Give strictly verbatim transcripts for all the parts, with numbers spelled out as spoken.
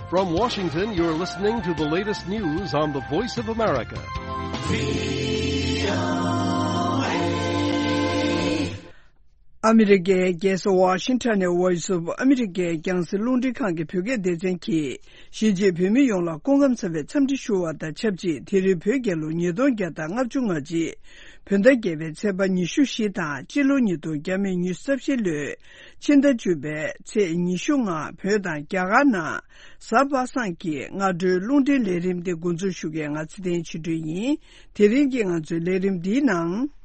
From Washington, you're listening to the latest news on the Voice of America. ཨ་མི་རི་ཀའི་རྒྱལ་ས་ཝ་ཤིང་ཊོན་ནས་Voice of America རྒྱང་སྲིང་རླུང་འཕྲིན་ཁང་གི་བོད་སྐད་སྡེ་ཚན་གྱིས། གཞིས་བྱེས་བོད་མི་ཡོངས་ལ་སྐུ་ཁམས་བཟང་བའི་འཚམས་འདྲི་ཞུ་བ་དང་ཆབས་ཅིག་དེ་རིང་བོད་རྒྱལ་ལོ་ཉིས་སྟོང་བརྒྱ་དང་ལྔ་བཅུ་ང་གཅིག་བོད་ཟླ་བརྒྱད་པའི་ཚེས་པ་ཉི་ཤུ་བཞི་དང་སྤྱི་ལོ་ཉིས་སྟོང་ཉི་ཤུ་རྩ་བཞི་ལོའི་ཕྱི་ཟླ་བཅུ་པའི་ཚེས་ཉི་ཤུ་ལྔ་བོད་དང་རྒྱ་གར་ནང་གཟའ་པ་སངས་ཀྱི་སྔ་དྲོའི་རླུང་འཕྲིན་ལས་རིམ་འདི་འགོ་འཛུགས་ཞུ་མཁན་ང་ཚེ་བརྟན་ཆོས་སྒྲོན་ཡིན། དེ་རིང་གི་ང་ཚོའི་ལས་རིམ་འདིའི་ནང་།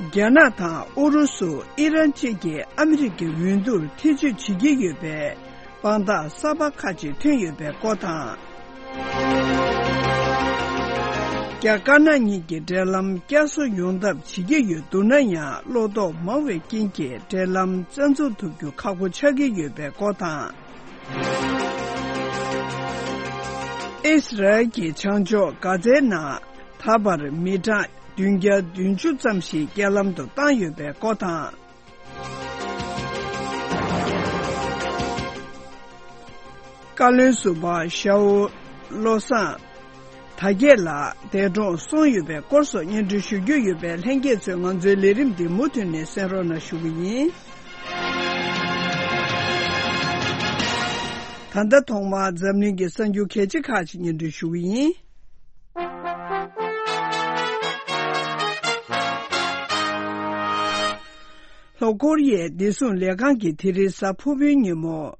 རྒྱ་ནག་དང་ཨུ་རུ་སུ། ཨི་རན་བཅས་ཀྱིས་ཨ་མི་རི་ཀའི་འོས་བསྡུར་ཐེ་བྱུས་བྱེད་ཀྱི་ཡོད་པའི་དཔང་རྟགས་གསར་པ་ཁག་ཅིག་ཐོན་ཡོད་པའི་སྐོར་དང་། རྒྱ་དཀར་ནག་གཉིས་ཀྱི་འབྲེལ་ལམ་བསྐྱར་གསོ་ཡོང་ཐབས་བྱེད་ཀྱི་ཡོད་འདུག་ན་ཡང་བློ་དོགས་མང་བའི་རྐྱེན་གྱིས་འབྲེལ་ལམ་རྩ་འཛུགས་ཐུབ་རྒྱུ་ཁག་པོ་ཆགས་ཀྱི་ཡོད་པའི་སྐོར་དང་། ཨིས་རལ་གྱིས་བྱང་ཕྱོགས་གྷ་ཛའི་ནང་ད་བར་མི་གྲངས་བདུན་བརྒྱ་བདུན་ཅུ་ཙམ་ཞིག་རྐྱེན་ལམ་དུ་བཏང་ཡོད་པའི་སྐོར་དང་། བཀའ་བློན་ཟུར་པ་ཞའོ་བློ་བཟང་དར་རྒྱས་ལགས་འདས་གྲོངས་སོང་ཡོད་པའི་སྐོར་སོགས་སྙན་སྒྲོན་ཞུ་རྒྱུ་ཡོད་པས་ལྷན་རྒྱས་ཚོས་ང་ཚོའི་ལས་རིམ་འདི་མུ་མཐུད་ནས་གསན་རོགས་གནང་ཞུ་གི་ཡིན། ད་ལྟ་ཐོག་མར་འཛམ་གླིང་གི་གསར་འགྱུར་གལ་ཆེ་ཁག་ཅིག་སྙན་སྒྲོན་ཞུ་གི་ཡིན། ལྷོ་ཀོ་རི་ཡའི་བདེ་སྲུང་ལས་ཁང་གིས་དེ་རིང་གཟའ་ཕུར་བུའི་ཉིན་མོ།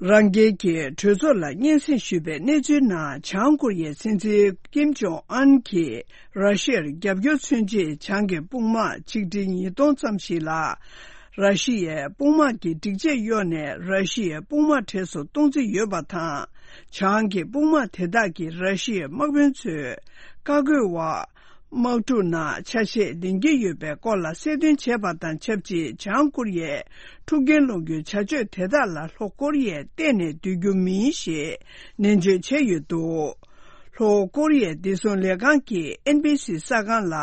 རང་རྒྱལ་གྱི་གྲོས་ཚོགས་ལ་སྙན་སེང་ཞུས་པའི་གནས་ཚུལ་ནང་། བྱང་ཀོ་རི་ཡའི་སྲིད་འཛིན་ཀིམ་ཇོང་ཨན་གྱིས་ར་ཤི་ཡར་རྒྱབ་སྐྱོར་མཚོན་ཆེད། བྱང་གི་དཔུང་དམག་ཆིག་ཁྲི་ཉིས་སྟོང་ཙམ་ཞིག་ལ། ར་ཤི་ཡའི་དཔུང་དམག་གི་སྒྲིག་ཆས་གཡོགས་ནས། ར་ཤི་ཡའི་དཔུང་དམག་གྲས་སུ་གཏོང་རྩིས་ཡོད་པ་དང་། བྱང་གི་དཔུང་དམག་དེ་དག་གིས་ར་ཤི་ཡའི་དམག་དཔོན་ཚོས་བཀའ་བཀོད་འོག་དམག་འཁྲུག་ནང་ཆ་ཤས་ལེན་གྱི་ཡོད་པའི་སྐོར་ལ་གསལ་སྟོན་བྱས་པ་དང་ཆབས་ཅིག་བྱང་ཀོ་རི་ཡས་འཁྲུག་རྐྱེན་སློང་རྒྱུའི་བྱ་སྤྱོད་དེ་དག་ལ་ལྷོ་ཀོ་རི་ཡས་གཏན་ནས་འདོད་རྒྱུ་མིན་ཞེས་ནན་བརྗོད་བྱས་ཡོད་འདུག་ལྷོ་ཀོ་རི་ཡའི་བདེ་སྲུང་ལས་ཁང་གིས་ཨེན་བྷི་སི་གསར་ཁང་ལ་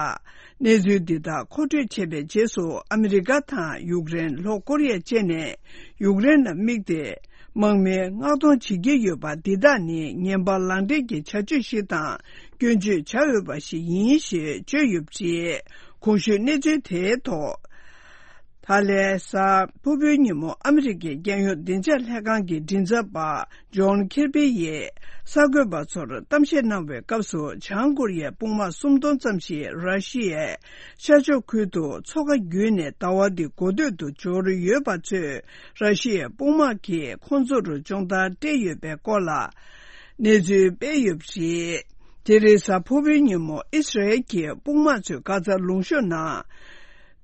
གནས་ཚུལ་འདི་དག་མཁོ་སྤྲོད་བྱས་པའི་རྗེས་སུ། ཨ་མི་རི་ཀ་དང་ཡུཀ་རེན། ལྷོ་ཀོ་རི་ཡ་བཅས་ནས་ཡུཀ་རེན་ལ་དམིགས་ཏེ། དམག་མི་མངགས་གཏོང་བྱེད་ཀྱི་ཡོད་པ་འདི་དག་ནི་ངན་པ་ལག་འབྲེལ་གྱི་བྱ་སྤྱོད་ཞིག་དང་སྐྱོན་བརྗོད་བྱ་འོས་པ་ཞིག་ཡིན་ཞེས་བརྗོད་ཡོད་པ་རེད། གོང་ཞུས་གནས་ཚུལ་དེའི་ཐོག་ད་ལན་གཟའ་ཕུར་བུའི་ཉིན་མོ་ཨ་མི་རི་ཀའི་རྒྱལ་ཡོངས་བདེ་འཇགས་ལྷན་ཁང་གི་མགྲིན་ཚབ་པ་ཇོན་ཁིར་པི་ཡིས་གསར་འགོད་པ་ཚོར་གཏམ་བཤད་གནང་བའི་སྐབས་སུ། བྱང་ཀོ་རི་ཡའི་དཔུང་དམག་སུམ་སྟོང་ཙམ་ཞིག་ར་ཤི་ཡའི་ཤར་ཕྱོགས་ཁུལ་དུ་མཚོ་ཁ་བརྒྱུད་ནས་ཟླ་བ་འདི་འགོ་སྟོད་དུ་འབྱོར་ཡོད་པ་ཚོས། ར་ཤི་ཡའི་དཔུང་དམག་གིས་ཁོང་ཚོར་སྦྱོང་བརྡར་སྤྲད་ཡོད་པའི་སྐོར་ལ་གནས་ཚུལ་སྤེལ་ཡོད་པ་རེད། དེ་རིང་གཟའ་ཕུར་བུའི་ཉིན་མོ་ཨི་སི་རལ་གྱི་དཔུང་དམག་ཚོས་གྷ་ཛ་ལུང་གཤོང་ནང་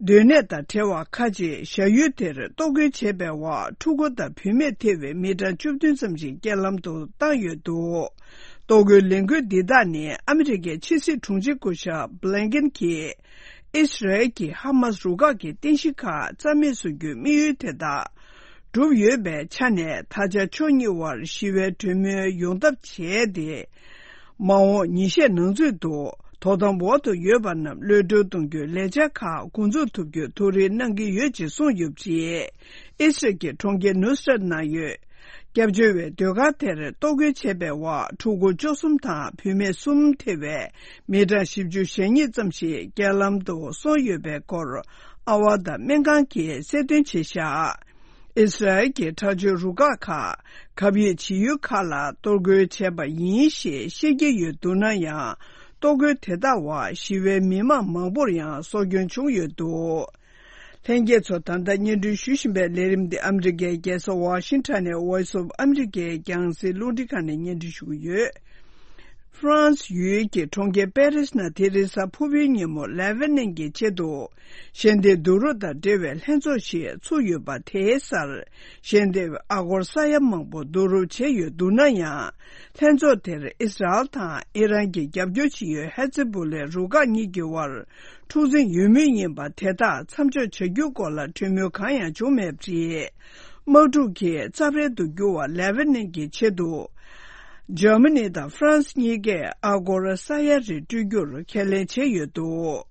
སྡོད་གནས་དང་བྲལ་བ་ཁག་ཅིག་བཞག་ཡུལ་དེར་གཏོར་རྒོལ་བྱས་པའི་འོག་ཕྲུ་གུ་དང་བུད་མེད་ཐེ་བའི་མི་གྲངས་བཅུ་བདུན་ཙམ་ཞིག་རྐྱེན་ལམ་དུ་བཏང་ཡོད་འདུག་གཏོར་རྒོལ་ལས་འགུལ་འདི་དག་ནི་ཨ་མི་རི་ཀའི་ཕྱི་སྲིད་དྲུང་ཆེ་སྐུ་ཞབས་བྷི་ལིན་ཀེན་གྱིས། ཨི་སི་རལ་གྱིས་ཧ་མཱ་སི་རུ་ཁག་གི་རྟེན་གཞི་ཁག་རྩ་མེད་བཟོ་རྒྱུའི་དམིགས་ཡུལ་དེ་དག་གྲུབ་ཡོད་པའི་ཆ་ནས། ད་ཆ་ཕྱོགས་གཉིས་དབར་ཞི་བའི་གྲོས་མོལ་ཡོང་ཐབས་བྱས་ཏེ། མ་འོངས་ཉིན་ཤས་ནང་ཚུད་དུ་དོ་དམ་འོག་ཏུ་ཡོད་པ་རྣམས་གློད་བཀྲོལ་གཏོང་རྒྱུའི་ལས་འཆར་ཁག་འགོ་འཛུགས་ཐུབ་རྒྱུའི་ཐུགས་རེ་གནང་གི་ཡོད་ཅེས་གསུངས་ཡོད་པ་རེད། ཨི་སི་རལ་གྱི་གྲོང་ཁྱེར་ནུ་སི་རད་ནང་ཡོད། སྐྱབས་བཅོལ་བའི་སྡོད་སྒར་དེར་གཏོར་རྒོལ་བྱས་པའི་འོག་ཕྲུ་གུ་བཅུ་གསུམ་དང་བུད་མེད་གསུམ་ཐེ་བའི་མི་གྲངས་བཞི་བཅུ་ཞེ་གཉིས་ཙམ་ཞིག་རྐྱེན་ལམ་དུ་སོང་ཡོད་པའི་སྐོར་ཨ་ཝ་དང་སྨན་ཁང་གིས་གསལ་སྟོན་བྱས་བཞག་ཨི་སི་རལ་གྱི་དྲག་སྤྱོད་རུ་ཁག་ཁག་གབ་ཡིབ་བྱེད་ཡུལ་ཁག་ལ་གཏོར་རྒོལ་བྱས་པ་ཡིན་ཞེས་བཤད་ཀྱི་ཡོད་འདུག་ན་ཡང་། གཏོར་རྒོལ་དེ་དག་འོག་ཞི་བའི་མི་མང་མང་པོར་ཡང་སྲོག་སྐྱོན་བྱུང་ཡོད་འདུག་ལྷན་རྒྱས་ཚོ། ད་ལྟ་སྙན་སྒྲོན་ཞུ་བཞིན་པའི་ལས་རིམ་འདི་ཨ་མི་རི་ཀའི་རྒྱལ་ས་ཝ་ཤིང་ཊོན་ནས་Voice of America རྒྱང་སྲིང་རླུང་འཕྲིན་ཁང་ནས་སྙན་སྒྲོན་ཞུ་གི་ཡོད། ཧྥ་རན་སི་ཡུལ་གྱི་གྲོང་ཁྱེར་པེ་རིས་ནང་དེ་རིང་གཟའ་ཕུར་བུའི་ཉིན་མོ་ལེ་བྷ་ནན་གྱི་ཆེད་དུ་ཞལ་འདེབས་བསྡུ་རུབ་དང་འབྲེལ་བའི་ལྷན་ཚོགས་ཤིག་ཚུགས་ཡོད་པ་དེའི་སར། ཞལ་འདེབས་ཨ་སྒོར་ས་ཡ་མང་པོ་བསྡུ་རུབ་བྱས་ཡོད་འདུག་ན་ཡང་། ལྷན་ཚོགས་དེར་ཨི་སི་རལ་དང་ཨི་རན་གྱི་རྒྱབ་སྐྱོར་བྱེད་ཡུལ་ཧེ་ཛི་བུ་ལའི་རུ་ཁག་གཉིས་ཀྱི་དབར་འཁྲུག་འཛིང་ཡོད་མུས་ཡིན་པ་དེ་དག་མཚམས་འཇོག་བྱ་རྒྱུའི་སྐོར་ལ་གྲོས་མོལ་གང་ཡང་བྱུང་མེད་པ་རེད། དམག་འཁྲུག་གི་རྩབ་ཧྲལ་དུ་གྱུར་བ་ལེ་བྷ་ནན་གྱི་ཆེད་དུ། འཇར་མ་ནི་དང་ཧྥ་རན་སི་གཉིས་ཀས་ཨ་སྒོར་ས་ཡ་རེ་སྤྲོད་རྒྱུར་ཁས་ལེན་བྱས་ཡོད་འདུག་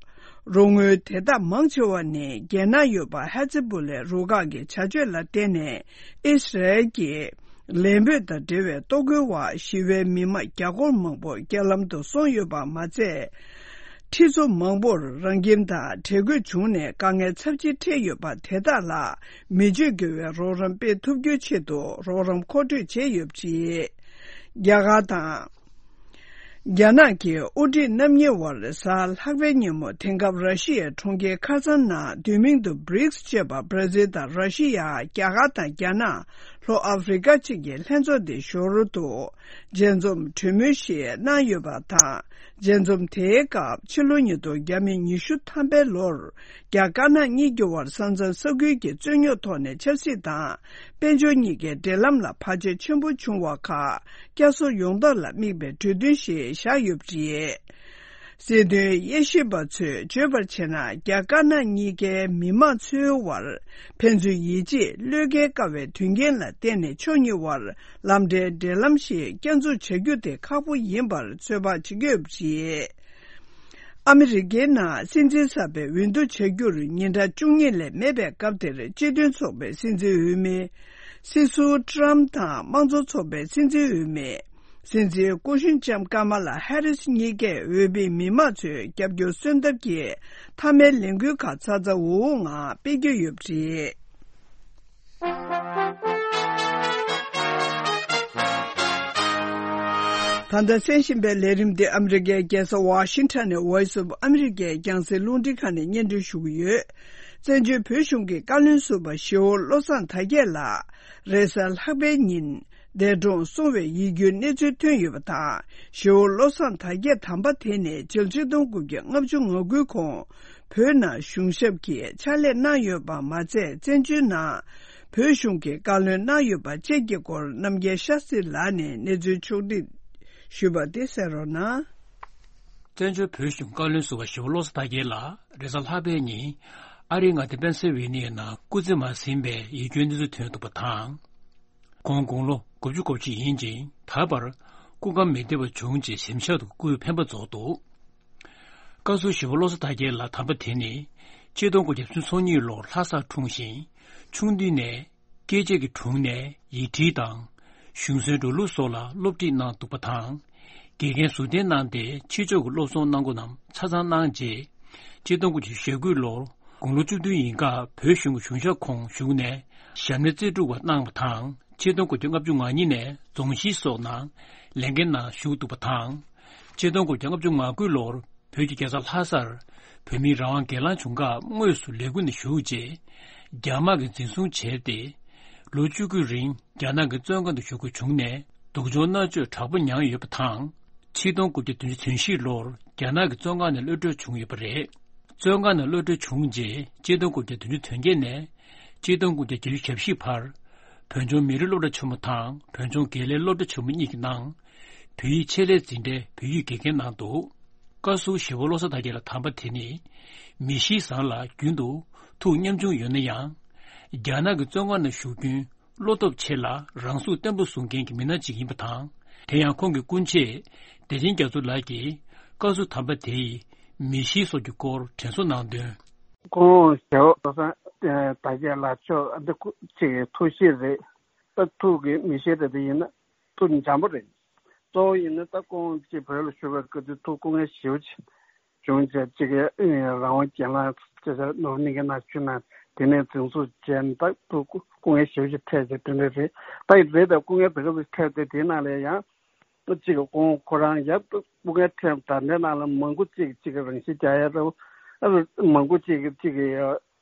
རོགས་དངུལ་དེ་དག་མང་ཆེ་བ་ནི་རྒྱལ་ནང་ཡོད་པ་ཧེ་ཛི་བུ་ལའི་རུ་ཁག་གི་བྱ་སྤྱོད་ལ་བརྟེན་ནས་ཨིས་ར་ཨེལ་གྱི་ལས་འབོད་དང་འབྲེལ་བའི་གཏོར་རྒོལ་འོག་ཞི་བའི་མི་མང་བརྒྱ་སྐོར་མང་པོ་རྐྱེན་ལམ་དུ་སོང་ཡོད་པ་མ་ཚད། ཁྲི་ཚོ་མང་པོར་རང་ཁྱིམ་དང་བྲལ་དགོས་བྱུང་ནས་དཀའ་ངལ་ཚབས་ཆེ་འཕྲད་ཡོད་པ་དེ་དག་ལ་མི་སྤྱོད་དགེ་བའི་རོགས་རམ་སྤེལ་ཐུབ་རྒྱུའི་ཆེད་དུ་རོགས་རམ་མཁོ་སྤྲོད་བྱས་ཡོད་པ་རེད། རྒྱ་གར་དང་། རྒྱ་ནག་གི་དབུ་ཁྲིད་རྣམ་གཉིས་དབར་གཟའ་ལྷག་པའི་ཉིན་མོ་དེང་སྐབས་ར་ཤི་ཡའི་གྲོང་ཁྱེར་ཁ་སང་ནང་བསྡུས་མིང་དུ་བྷི་རིགས་ཅེས་པ་བྷར་ཛིལ་དང་ར་ཤི་ཡ། རྒྱ་གར་དང་རྒྱ་ནག་ལྷོ་ཨ་ཧྥེ་རི་ཀ་བཅས་ཀྱི་ལྷན་ཚོགས་དེ་ཞོར་དུ་མཇལ་འཛོམས་གྲོས་མོལ་ཞིག་གནང་ཡོད་པ་དང་། མཇལ་འཛོམས་དེའི་སྐབས་ཕྱི་ལོ་ཉིས་སྟོང་ཉི་ཤུ་ཐམ་པའི་ལོར་རྒྱ་དཀར་ནག་གཉིས་ཀྱི་དབར་ས་མཚམས་ས་ཁུལ་གྱི་རྩོད་རྙོག་ཐོག་ནས་ཆབ་སྲིད་དང་། དཔལ་འབྱོར་གཉིས་ཀའི་འབྲེལ་ལམ་ལ་བར་ཆད་ཆེན་པོ་བྱུང་བ་ཁག་བསྐྱར་གསོ་ཡོང་ཐབས་ལ་དམིགས་པའི་གྲོས་མཐུན་ཞིག་བཞག་ཡོད་པ་རེད། སྲིད་དོན་དབྱེ་ཞིབ་པ་ཚོས་བརྗོད་པར་བྱས་ན། རྒྱ་དཀར་ནག་གཉིས་ཀའི་མི་དམངས་ཚོའི་དབར་ཕན་ཚུན་ཡིད་ཆེས་བློས་འགེལ་དཀའ་བའི་དོན་རྐྱེན་ལ་བརྟེན་ནས་ཕྱོགས་གཉིས་དབར་ལམ་འབྲེལ་འབྲེལ་ལམ་ཞིག་བསྐྱར་འཛུགས་བྱ་རྒྱུ་དེ་ཁག་པོ་ཡིན་པར་ཚོད་དཔག་བྱེད་ཀྱི་ཡོད་པ་རེད། ཨ་མི་རི་ཀའི་ནང་སྲིད་འཛིན་གསར་པའི་འོས་བསྡུ་བྱ་རྒྱུར་ཉིན་གྲངས་བཅུ་གཉིས་ལས་མེད་པའི་སྐབས་དེར། སྤྱི་མཐུན་ཚོགས་པའི་སྲིད་འཛིན་འོས་མི་སྲིད་ཟུར་ཏྲམ་དང་། དམངས་གཙོ་ཚོགས་པའི་སྲིད་འཛིན་འོས་མི་སྲིད་འཛིན་སྐུ་གཞོན་ལྕམ་ཀ་མ་ལ་ཧེ་རིས་གཉིས་ཀས་འོས་མིའི་མི་མང་ཚོའི་རྒྱབ་སྐྱོར་སོན་ཐབས་ཀྱི་མཐའ་མའི་ལས་འགུལ་ཁག་ཚ་ཚ་འུར་འུར་ངང་སྤེལ་གྱི་ཡོད་པ་རེད། ད་ལྟ་གསན་བཞིན་པའི་ལས་རིམ་འདི་ཨ་མི་རི་ཀའི་རྒྱལ་ས་ཝ་ཤིང་ཊོན་ནས་Voice of America རྒྱང་སྲིང་རླུང་འཕྲིན་ཁང་ནས་སྙན་སྒྲོན་ཞུ་གི་ཡོད། བཙན་བྱོལ་བོད་གཞུང་གི་བཀའ་བློན་ཟུར་པ་ཞེ་བོ་བློ་བཟང་དར་རྒྱས་ལགས་རེས་གཟའ་ལྷག་པའི་ཉིན་འདས་གྲོངས་སོང་བའི་ཡིད་སྐྱོའི་གནས་ཚུལ་ཐོན་ཡོད་པ་དང་། ཞེ་བོ་བློ་བཟང་དར་རྒྱས་དམ་པ་དེ་ནི་ཕྱི་ལོ་ཆིག་སྟོང་དགུ་བརྒྱ་ལྔ་བཅུ་ང་དགུའི་གོང་བོད་ནང་གཞུང་ཞབས་ཀྱི་ཕྱག་ལས་གནང་ཡོད་པ་མ་ཚད། བཙན་བྱོལ་ནང་བོད་གཞུང་གི་བཀའ་བློན་གནང་ཡོད་པ་བཅས་ཀྱི་སྐོར་རྣམ་རྒྱལ་ཤཱ་སྟྲི་ལགས་ནས་གནས་ཚུལ་ཕྱོགས་སྒྲིག་ཞུས་པ་དེ་གསན་རོགས་གནང་། བཙན་བྱོལ་བོད་གཞུང་བཀའ་བློན་ཟུར་པ་ཞེ་བོ་བློ་བཟང་དར་རྒྱས་ལགས་རེས་གཟའ་ལྷག་པའི་ཉིན་ཨ་རིའི་མངའ་སྡེ་པེན་སིལ་ཝེ་ནི་ཡའི་ནང་སྐུ་ཚེ་མ་ཟིན་པའི་ཡིད་སྐྱོའི་གནས་ཚུལ་ཐོན་འདུག་པ་དང་། ཁོང་དགུང་ལོ་དགུ་བཅུ་གོ་གཅིག་ཡིན་ཅིང་། ད་བར་སྐུ་ཁམས་མི་བདེ་བ་བྱུང་རྗེས་གཟིམ་ཤག་ཏུ་སྐུའི་འཕེན་པ་རྫོགས་འདུག། བཀའ་ཟུར་ཞེ་བོ་བློ་བཟང་དར་རྒྱས་ལགས་དམ་པ་དེ་ནི་ཆིག་སྟོང་དགུ་བརྒྱ་སུམ་ཅུ་སོ་གཉིས་ལོར་ལྷ་སར་འཁྲུངས་ཤིང་། ཆུང་དུས་ནས་སྐད་ཆ་གི་དྲུང་ནས་ཡིག་བྲིས་དང་གཞུང་སྲོལ་འགྲོ་ལུགས་སོགས་ལ་སློབ་ཁྲིད་གནང་འདུག་པ་དང་། དགེ་རྒན་ཟུར་བསྟེན་གནང་སྟེ་ཕྱི་ཕྱོགས་ཀྱི་སློབ་སྦྱོང་གནང་སྒོ་རྣམས་ཆ་ཚང་གནང་རྗེས། ཆིག་སྟོང་དགུ་བརྒྱ་ཞེ་དགུ་ལོར་དགུང་ལོ་བཅུ་བདུན་ཡིན་སྐབས་བོད་གཞུང་གི་གཞུང་ཞབས་ཁོངས་ཞུགས་ནས་ཞབས་གནས་རྩེ་དྲུག་པ་གནང་བ་དང་། ཆིག་སྟོང་དགུ་བརྒྱ་ལྔ་བཅུ་ང་གཉིས་ནས་རྫོང་གཞིས་སོགས་ནང་ལས་འགན་ནང་ཞུགས་འདུག་པ་དང་། ཆིག་སྟོང་དགུ་བརྒྱ་ལྔ་བཅུ་ང་དགུ་ལོར་བོད་ཀྱི་རྒྱལ་ས་ལྷ་སར་བོད་མིའི་རང་དབང་སྒེར་ལངས་བྱུང་སྐབས་དངོས་སུ་ལས་འགུལ་ནང་ཞུགས་རྗེས། རྒྱ་དམག་གིས་འཛིན་བཟུང་བྱས་ཏེ། ལོ་བཅུ་དགུའི་རིང་རྒྱ་ནག་གི་བཙོན་ཁང་དུ་བཞུགས་དགོས་བྱུང་ནས། སྡུག་སྦྱོང་མནར་གཅོད་དྲག་པོ་མྱངས་ཡོད་པ་དང་། ཆིག་སྟོང་དགུ་བརྒྱ་བདུན་ཅུ་དོན་བཞི་ལོར་རྒྱ་ནག་གི་བཙོན་ཁང་ནས་གློད་གྲོལ་བྱུང་ཡོད་པ་རེད། བཙོན་ཁང་ནས་གློད་གྲོལ་བྱུང་རྗེས་ཆིག་སྟོང་དགུ་བརྒྱ་བདུན་ཅུ་དོན་བརྒྱད་ནས་ཆིག་སྟོང་དགུ་བརྒྱ་བརྒྱད་ཅུ་གྱ་བཞི་བར་བོད་ལྗོངས་མི་རིགས་སློབ་གྲྭ་ཆེན་མོ་དང་བོད་ལྗོངས་དགེ་ལས་སློབ་གྲྭ་ཆེན་མོ་གཉིས་ཀྱི་ནང་བོད་ཡིག་ཆེད་ལས་འཛིན་གྲྭའི་བོད་ཡིག་དགེ་རྒན་གནང་འདུག། བཀའ་ཟུར་ཞེ་བོ་བློ་བཟང་དར་རྒྱས་ལགས་དམ་པ་དེ་ནི་མི་གཤིས་བཟང་ལ་རྒྱུན་དུ་ཐུགས་ཉམ་ཆུང་ཡོད་ན་ཡང་། རྒྱ་ནག་གི་བཙོན་ཁང་ནང་བཞུགས་རྒྱུན་བློ་སྟོབས་ཆེ་ལ་རང་གཟུགས་བརྟན་པོ་བཟུང་མཁན་གྱི་མི་སྣ་གཅིག་ཡིན་པ་དང་། དེ་ཡང་ཁོང་གི་སྐུ་མཆེད་བདེ་ཆེན་རྒྱ་མཚོ་ལགས་ཀྱིས་བཀའ་ཟུར་དམ་པ་དེ་ཡི་མི་གཤིས་སོགས་ཀྱི་སྐོར་དྲན་གསོ་གནང་དོན། ཁོང་ཞེ་བོ་བློ་བཟང་དར་རྒྱས་ལགས་མཆོག་འདི་སྐུ་གཅིག་གི་ཐུགས་གཤིས་རེད། ད་ཐུགས་ཀྱི་མི་གཤིས་རེད། དེ་ཡིན་ན་ཐུགས་འཇམ་པོ་རེད། གཙོ་བོ་ཡིན་ན་ད་ཁོང་གཅིག་བོད་ལ་བཞུགས་པའི་སྐབས་དུས་ཐུགས་སྐུ་ངལ་ཞེ་པོ་ཅིག་བྱུང་རྗེས་གཅིག་གི་རང་དབང་སྒེར་ལངས་ཅེས་ནོར་གླིང་གི་ནང་བཞུགས་ན། དེ་ནས་འཛིན་བཟུང་བྱས་ནས་ད་ཐུགས་སྐུ་སྐུ་ངལ་ཞེ་པོ་ཅིག་འཕྲད་རྗེས་དེ་འདྲ་རེད། ད་རེད་དེ་སྐུ་ངལ་དེ་ག་ཚོད་འཕྲད་དེ་དེའི་ནང་ལ་ཡང་གཅིག་གི་ཁོང་ཁོ་རང་ཡབ་སྐུ་ངལ་འཕྲད་ད་ལྟའི་ནང་ལ་མང་པོ་གཅིག་གཅིག་གི་རང་ཤི་རྒྱག་ཡ་རེད། མང་པོ་གཅིག་གི་གཅིག་གི་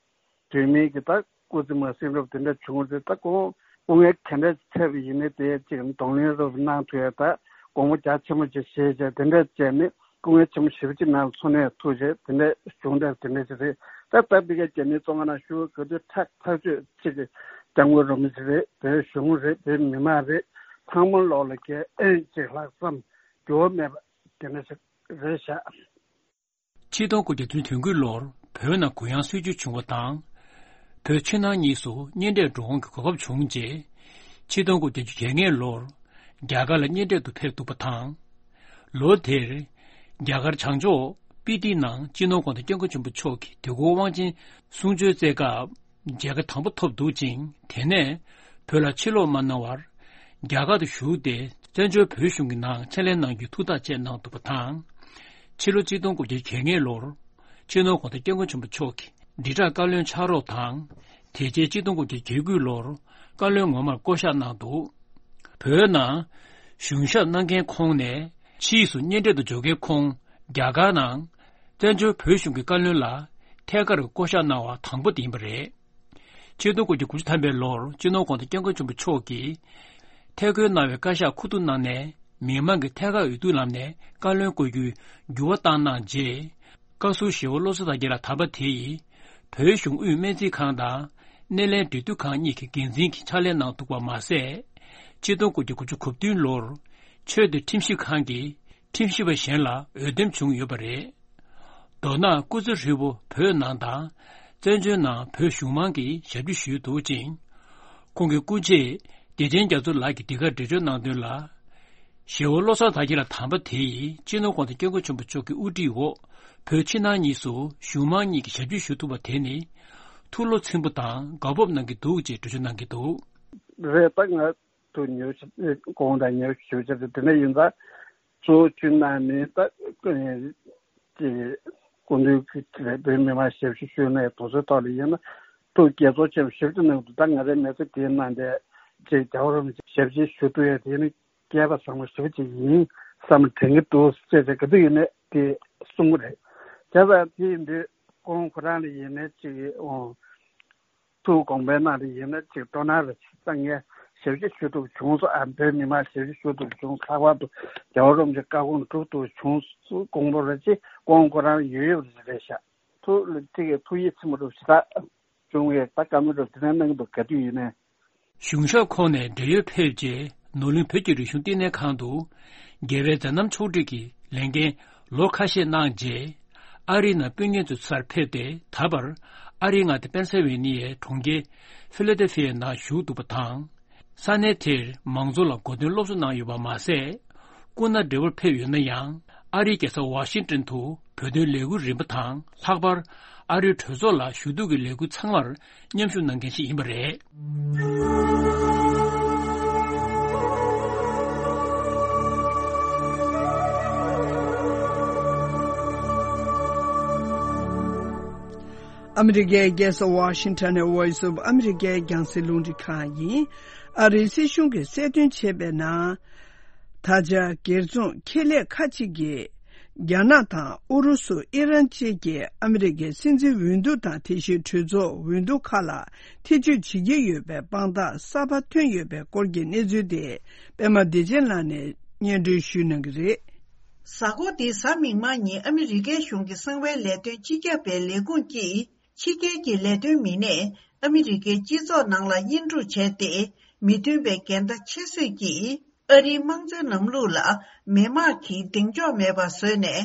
དུས་མིན་གྱི་ད་སྐུ་ཚེ་མ་ཟིན་རབས་དེ་འདྲ་བྱུང་རྗེས་ད་ཁོང་སྐུ་ངལ་ག་འདྲ་འཕྲད་པ་ཡིན་ནའི་དེ་གཅིག་གདོང་ལེན་རབས་གནང་ཐུབ་ཡ་ད་དགོངས་པ་རྒྱ་ཆེན་པོ་ཅིག་བཞེས་བྱས་དེ་འདྲ་བྱས་ནས་སྐུ་ངལ་ཆེན་པོ་ཞེ་པོ་ཅིག་ནང་ལ་འཚོ་གནས་ཐུབ་བྱས་དེ་འདྲ་བྱུང་རབས་དེ་འདྲ་ཅིག་རེད། ད་ད་ཕ་གིའི་རྒྱ་མིའི་བཙོན་ཁང་ནང་བཞུགས་སྐབས་དུས་ཐག་ཐག་ཆོད་ཅིག་སྐྱབས་མགོན་རིན་པོ་ཆེ་རེད། བོད་གཞུང་རེད། བོད་མི་མང་རེད། ཚང་མ་ལོག་ལ་རྒྱལ་ཨེ་ཅིག་ལྷག་བསམ་འགྱུར་བ་མེད་པ་དེ་འདྲ་ཞིག་རེད་བཞག། ཆིག་སྟོང་དགུ་བརྒྱ་བདུན་ཅུ་དོན་དགུ་ལོར་བོད་ནང་གུ་ཡངས་སྲིད་བྱུས་བྱུང་བ་དང་། བོད་ཕྱི་ནང་གཉིས་སུ་གཉེན་འཕྲད་འགྲོ་འོང་གི་གོ་སྐབས་བྱུང་རྗེས། ཆིག་སྟོང་དགུ་བརྒྱ་བརྒྱད་ཅུ་གྱ་ལྔ་ལོར་རྒྱ་གར་ལ་གཉེན་འཕྲད་དུ་ཕེབས་འདུག་པ་དང་། ལོ་དེར་རྒྱ་གར་བྱང་ཕྱོགས་ སྤི་ཏི་ནང་སྤྱི་ནོར་༧གོང་ས་༧སྐྱབས་མགོན་ཆེན་པོ་མཆོག་གིས་དུས་འཁོར་དབང་ཆེན་གསུང་ཆོས་སྩལ་སྐབས། མཇལ་ཁ་དང་པོ་ཐོབ་འདུག་ཅིང་། དེ་ནས་བོད་ལ་ཕྱིར་ལོག་མ་གནང་བར་རྒྱ་གར་དུ་བཞུགས་ཏེ། བཙན་བྱོལ་བོད་གཞུང་གི་ནང་ཕྱག་ལས་གནང་རྒྱུའི་ཐུགས་ཐག་བཅད་གནང་འདུག་པ་དང་། ཕྱི་ལོ་ཆིག་སྟོང་དགུ་བརྒྱ་གྱ་ལྔ་ལོར་སྤྱི་ནོར་༧གོང་ས་༧སྐྱབས་མགོན་ཆེན་པོ་མཆོག་གིས་དྲིལ་བསྒྲགས་བཀའ་བློན་ཕྱག་རོགས་དང་། དེ་རྗེས་ཆིག་སྟོང་དགུ་བརྒྱ་གྱ་དགུ་ལོར་བཀའ་བློན་ངོ་མར་བསྐོ་གཞག་གནང་འདུག་བོད་ནང་གཞུང་ཞབས་གནང་མཁན་ཁོངས་ནས་ཕྱིས་སུ་གཉེན་འཕྲད་དུ་འབྱོར་མཁན་ཁོངས། རྒྱ་གར་ནང་བཙན་བྱོལ་བོད་གཞུང་གི་བཀའ་བློན་ལ་ཐད་ཀར་བསྐོ་གཞག་གནང་བ་དང་པོ་དེ་ཡིན་པ་རེད། ཆིག་སྟོང་དགུ་བརྒྱ་དགུ་བཅུ་ཐམ་པའི་ལོར་སྤྱི་ནོར་༧གོང་ས་༧སྐྱབས་མགོན་ཆེན་པོ་མཆོག་གིས་ཐད་བསྐོས་གནང་བའི་བཀའ་ཤག་ཁུ་བསྡུ་གནང་ནས། མི་མང་གི་ཐད་ཀར་འོས་བསྡུ་ལམ་ནས་བཀའ་བློན་བསྐོ་རྒྱུའི་འགྱུར་བ་བཏང་གནང་རྗེས། བཀའ་ཟུར་ཞེ་བོ་བློ་བཟང་དར་རྒྱས་ལགས་དམ་པ་དེ་ཡིས་བོད་གཞུང་དབུས་སྨན་རྩིས་ཁང་དང་སྣེ་ལེན་འབྲེལ་མཐུད་ཁང་གཉིས་ཀྱི་འགན་འཛིན་གྱི་ཕྱག་ལས་གནང་འདུག་པ་མ་ཟད། ཆིག་སྟོང་དགུ་བརྒྱ་དགུ་བཅུ་གོ་བདུན་ལོར་ཆོས་དང་ཁྲིམས་ཞིབ་ཁང་གི་ཁྲིམས་ཞིབ་པ་གཞན་ལ་འོས་འདེམས་བྱུང་ཡོད་པ་རེད། མདོར་ན་སྐུ་ཚེ་ཧྲིལ་པོ་བོད་ནང་དང་བཙན་བྱོལ་ནང་བོད་གཞུང་མང་གི་ཞབས་ཕྱི་ཞུས་འདུག་ཅིང་། ཁོང་གི་སྐུ་མཆེད་བདེ་ཆེན་རྒྱ་མཚོ་ལགས་ཀྱིས་འདི་གར་འགྲེལ་བརྗོད་གནང་དོན་ལ། ཞེ་བོ་བློ་བཟང་དར་རྒྱས་ལགས་དམ་པ་དེ་ཡིས་སྤྱི་ནོར་༧གོང་ས་༧སྐྱབས་མགོན་ཆེན་པོ་མཆོག་གི་དབུ་ཁྲིད་འོག་བོད་ཕྱི་ནང་གཉིས་སུ་གཞུང་མང་གཉིས་ཀྱི་ཞབས་ཕྱི་ཞུ་ཐུབ་པ་དེ་ནི་ཐུགས་བློ་ཚིམ་པོ་དང་དགའ་སྤོབས་གནང་གི་འདུག་ཅེས་འགྲེལ་བརྗོད་གནང་གི་འདུག་རེད། ད་ང་ཚོ་ཉོ་ཆ་གོང་དང་ཉོ་ཞུ་ཆ་དེ་དེ་འདྲ་ཡིན་ཙང་གཙོ་བོ་བཅུ་ནང་ནས་ད་ཅེས་སྐུ་མདུན་གྱི་བོད་མི་མང་ཞབས་ཕྱི་ཞུས་ནས་དུས་ཚོད་ཐོག་ལ་ཡིན་ན་ཐུགས་དགྱེས་ཚོར་ཆེན་པོ་ཞིག་ཏུ་གནང་འདུག་ད་ང་རའི་མི་ཚེ་དེའི་ནང་དེ་ཅེས་རྒྱལ་བ་རིན་པོ་ཆེ་ཞབས་ཕྱི་ཞུ་ཐུབ་ཡ་དེ་ནི་སྐལ་པ་བཟང་པོ་ཞིག་ཅིག་ཡིན་བསམ་དྲན་གྱི་འདུག་ཅེས་ཅེས་ག་དུས་ཡིན་ནས་དེ་གསུང་གི་རེད། བྱས་ཙང་དེ་ཡིན་དུས་ཁོང་ཁོ་རང་ལ་ཡིན་ནས་ཅིག་འོང་ཐུགས་དགོངས་པའི་ནང་དུ་ཡིན་ན་ཅིག་སྤྲོ་སྣང་རེ་ཅིག་བཏང་ངས་ཞབས་ཕྱི་ཞུ་ཐུབ་བྱུང་སོང་། ཨ་བོད་མི་མང་ཞབས་ཕྱི་ཞུ་ཐུབ་བྱུང་། ལྷག་པར་དུ་རྒྱལ་བ་རིན་པོ་ཆེ་བཀའ་དགོངས་སྒྲུབ་ཐུབ་བྱུང་སོང་། དགོངས་པ་རེ་ཅིག་ཁོང་ཁོ་རང་ཡོད་ཡོད་རེད་ཤག་ཐུགས་ལ་ཅིག་ཐུགས་ཡིད་ཚིམ་པོ་རུ་ཞེ་དྲག་བྱུང་བས་ད་བཀའ་མོལ་རུ་དེ་འདྲ་གནང་གི་འདུག་ག་དུས་ཡིན་ནའི། གཞུང་ཞབས་ཁོངས་ནས་བགྲེས་ཡོལ་ཕེབས་རྗེས་ནོར་གླིང་བོད་ཀྱི་རིག་གཞུང་བསྟི་གནས་ཁང་དུ་རྒྱལ་བའི་མཛད་རྣམ་ཕྱོགས་སྒྲིག་གི་ལས་འགན་ལོ་ཁ་ཤས་གནང་རྗེས། ཨ་རིའི་ནང་སྤུན་ཉེ་ཚོའི་སར་ཕེབས་ཏེ། ད་བར་ཨ་རིའི་མངའ་སྡེ་པེན་སིལ་ཝེ་ནི་ཡའི་གྲོང་ཁྱེར་ཕི་ལ་ཌེལ་ཕི་ཡའི་ནང་བཞུགས་འདུག་པ་དང་། ས་གནས་དེར་མང་ཚོགས་ལ་གོ་སྟོན་སློབ་གསོ་གནང་ཡོད་པ་མ་ཟད། སྐུ་ན་བགྲེས་པོར་ཕེབས་ཡོད་ན་ཡང་། ཨ་རིའི་རྒྱལ་ས་ཝ་ཤིང་ཏོན་དུ་བོད་དོན་ལས་འགུལ་རིམ་པ་དང་། ལྷག་པར་ཨ་རིའི་གྲོས་ཚོགས་ལ་ཞུ་གཏུག་གི་ལས་འགུལ་ཚང་མར་མཉམ་ཞུགས་གནང་མཁན་ཞིག་ཡིན་པ་རེད། ཨ་མི་རི་ཀའི་རྒྱལ་ས་ཝ་ཤིང་ཊོན་ནས་Voice of America རྒྱང་སྲིང་རླུང་འཕྲིན་ཁང་ཡིན། ཨ་རིའི་སྲིད་གཞུང་གིས་གསལ་སྟོན་བྱས་པའི་ནང་། ད་ཆ་སྒེར་ཚོང་ཁེ་ལས་ཁག་ཅིག་གིས་རྒྱ་ནག་དང་ཨུ་རུ་སུ། ཨི་རན་བཅས་ཀྱིས་ཨ་མི་རི་ཀའི་སྲིད་འཛིན་འོས་བསྡུ་དང་དེ་བཞིན་གྲོས་ཚོགས་འོས་བསྡུ་ཁག་ལ་ཐེ་བྱུས་བྱེད་ཀྱི་ཡོད་པའི་དཔང་རྟགས་གསར་པ་ཐོན་ཡོད་པའི་སྐོར་གྱི་གནས་ཚུལ་དེ་པད་མ་བདེ་ཆེན་ལགས་ནས་སྙན་སྒྲོན་ཞུ་གནང་གི་རེད། གཟའ་འཁོར་འདིའི་གཟའ་མིག་དམར་ཉིན་ཨ་མི་རི་ཀའི་གཞུང་གི་གསང་བའི་ལས་དོན་སྤྱི་ཁྱབ་པའི་ལས་ཁུངས་ཀྱིས། ཕྱི་རྒྱལ་གྱི་ལས་དོན་མི་སྣས་ཨ་མི་རི་ཀའི་སྤྱི་ཚོགས་ནང་ལ་དབྱེན་དཀྲུག་བྱས་ཏེ། མི་མཐུན་པའི་འགལ་ཟླ་ཆེ་ཤོས་ཀྱིས་ཨ་རིའི་དམངས་གཙོའི་ལམ་ལུགས་ལ་མི་དམངས་ཀྱིས་གདེང་འཇོག་མེད་པ་བཟོས་ནས།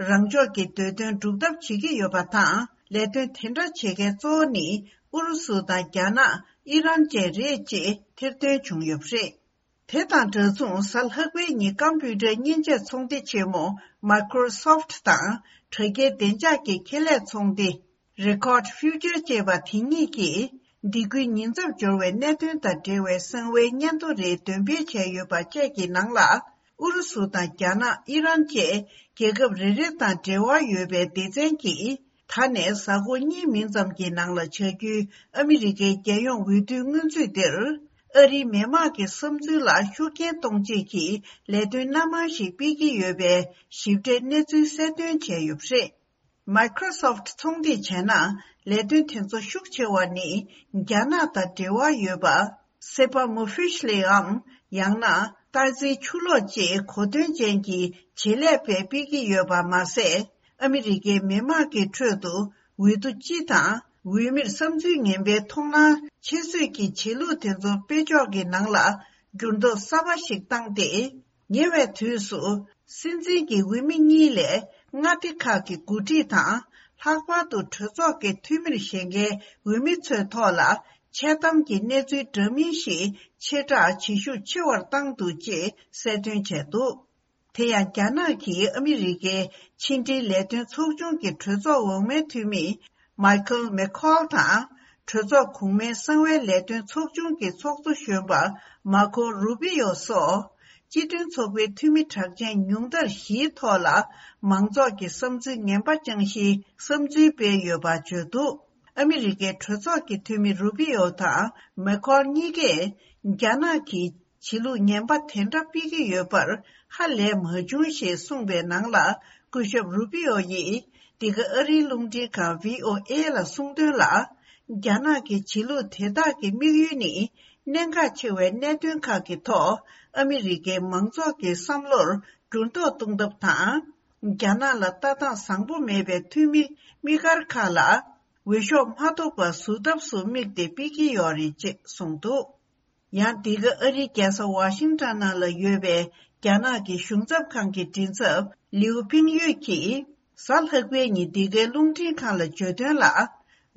རང་ཕྱོགས་ཀྱི་འདོད་དོན་སྒྲུབ་ཐབས་བྱེད་ཀྱི་ཡོད་པ་དང་། ལས་དོན་དེ་འདྲ་བྱེད་མཁན་གཙོ་བོ་ནི་ཨུ་རུ་སུ་དང་རྒྱ་ནག་ཨི་རན་བཅས་རེད་ཅེས་ཐེར་འདོན་བྱུང་ཡོད་པ་རེད། དེ་དང་འདྲ་མཚུངས། གཟའ་ལྷག་པའི་ཉིན་ཀམ་པུའུ་ཊར་མཉེན་ཆས་ཚོང་སྡེ་ཆེན་མོ་Microsoft དང་དྲ་རྒྱའི་བདེ་འཇགས་ཀྱི་ཁེ་ལས་ཚོང་སྡེ་Recode Future ཅེས་པ་དེ་གཉིས་ཀྱིས། འདས་ཁུལ་ཉེན་ཚབས་འབྱོར་བའི་གནད་དོན་དང་འབྲེལ་བའི་གསང་བའི་སྙན་ཐོ་རེ་འདོན་སྤེལ་བྱས་ཡོད་པ་བཅས་ཀྱི་ནང་ལ། ཨུ་རུ་སུ་དང་རྒྱ་ནག་ཨི་རན་བཅས་རྒྱལ་ཁབ་རེ་རེ་དང་འབྲེལ་བ་ཡོད་པའི་སྡེ་ཚན་གྱིས། ད་ནས་གཟའ་འཁོར་གཉིས་མིན་ཙམ་གྱི་ནང་ལ་བྱ་རྒྱུའི་ཨ་མི་རི་ཀའི་རྒྱལ་ཡོངས་འོས་བསྡུའི་སྔོན་ཚུད་འདིར། ཨ་རིའི་མི་དམངས་ཀྱི་བསམ་ཚུལ་ལ་ཤུགས་རྐྱེན་གཏོང་ཆེད་ཀྱི་ལས་དོན་སྣ་མང་ཞིག་སྤེལ་གྱི་ཡོད་པའི་ཞིབ་ཕྲའི་གནས་ཚུལ་གསལ་སྟོན་བྱས་ཡོད་པ་རེད། Microsoft ཚོང་སྡེས་བྱས་ན། ལས་དོན་དེ་ཚོ་ཤུགས་ཆེ་བ་ནི། རྒྱ་ནག་དང་འབྲེལ་བ་ཡོད་པ། Sibam Official འམ། ཡང་ན། སྟག་རྩེའི་ཆུ་ལོག་ཅེས་གོ་དོན་ཅན་གྱི་བྱེད་ལས་པས་སྤེལ་གྱི་ཡོད་པ་མ་ཟད། ཨ་མི་རི་ཀའི་མི་དམངས་ཀྱི་ཁྲོད་དུ་འོས་བསྡུ་སྤྱི་དང་འོས་མིར་བསམ་ཚུལ་ངན་པའི་མཐོང་སྣང་ཆེ་ཤོས་ཀྱི་བྱེད་ལུགས་དེ་ཚོ་སྤེལ་ཕྱོགས་ཀྱི་ནང་ལ་འགྱུར་ལྡོག་གསར་པ་ཞིག་བཏང་སྟེ། ཉེ་བའི་དུས་སུ་སྲིད་འཛིན་གྱི་འོས་མི་གཉིས་ལས་མངའ་སྡེ་ཁག་གི་འགོ་ཁྲིད་དང་། ལྷག་པར་དུ་གྲོས་ཚོགས་ཀྱི་འཐུས་མིར་བཞེངས་མཁན་འོས་མི་ཚོའི་ཐོག་ལ་འཆལ་གཏམ་གྱི་གནས་ཚུལ་འདྲ་མིན་ཞིག་ཆེ་དྲགས་བྱེད་ཤུགས་ཆེ་བར་བཏང་འདུག་ཅེས་གསལ་སྟོན་བྱས་འདུག་དེ་ཡང་རྒྱ་ནག་གིས་ཨ་མི་རི་ཀའི་ཕྱི་འབྲེལ་ལས་དོན་ཚོགས་ཆུང་གི་གྲོས་ཚོགས་འོག་མའི་འཐུས་མི་མའི་ཁལ་མེ་ཁོལ་དང་། གྲོས་ཚོགས་གོང་མའི་གསང་བའི་ལས་དོན་ཚོགས་ཆུང་གི་ཚོགས་གཙོ་གཞོན་པ་མར་ཁོ་རུ་པི་ཡོ་སོགས། སྤྱི་མཐུན་ཚོགས་པའི་འཐུས་མི་གྲགས་ཅན་ཉུང་མཐར་བཞིའི་ཐོག་ལ་མང་ཚོགས་ཀྱི་བསམ་ཚུལ་ངན་པ་བཅངས་གཞིའི་བསམ་ཚུལ་སྤེལ་ཡོད་པ་བརྗོད་འདུག་ཨ་མི་རི་ཀའི་གྲོས་ཚོགས་ཀྱི་འཐུས་མི་རུ་པི་ཡོ་དང་མེ་ཁོལ་གཉིས་ཀས་རྒྱ་ནག་གིས་བྱེད་ལུགས་ངན་པ་དེ་འདྲ་སྤེལ་གྱི་ཡོད་པར་ཧ་ལས་མ་བྱུང་ཞེས་གསུངས་པའི་ནང་ལ། སྐུ་ཞབས་རུ་པི་ཡོ་ཡིས་འདི་ག་ཨ་རིའི་རླུང་འཕྲིན་ཁང་བྷི་ཨོ་ཨེ་ལ་གསུངས་དོན་ལ། རྒྱ་ནག་གི་བྱེད་ལུགས་དེ་དག་གི་དམིགས་ཡུལ་ནི། གནད་འགག་ཆེ་བའི་གནད་དོན་ཁག་གི་ཐོག་ཨ་མི་རི་ཀའི་མང་ཚོགས་ཀྱི་བསམ་བློར་འགྱུར་ལྡོག་གཏོང་ཐབས་དང་། རྒྱ་ནག་ལ་ལྟ་སྟངས་བཟང་པོ་མེད་པའི་འཐུས་མི་དམིགས་བཀར་ཁག་ལ་འོས་ཤོག་མ་ཐོབ་པ་བཟོ་ཐབས་སུ་དམིགས་ཏེ་སྤེལ་གྱི་ཡོད་རེད་ཅེས་གསུངས་འདུག་ཡང་འདི་ག་ཨ་རིའི་རྒྱལ་ས་ཝ་ཤིང་ཊོན་ནང་ལ་ཡོད་པའི་རྒྱ་ནག་གི་གཞུང་ཚབ་ཁང་གི་མགྲིན་ཚབ་ལིའུ་ཕིང་ཡུས་ཀྱིས། གཟའ་ལྷག་པའི་ཉིན་འདི་གའི་རླུང་འཕྲིན་ཁང་ལ་བརྗོད་དོན་ལ། འོས་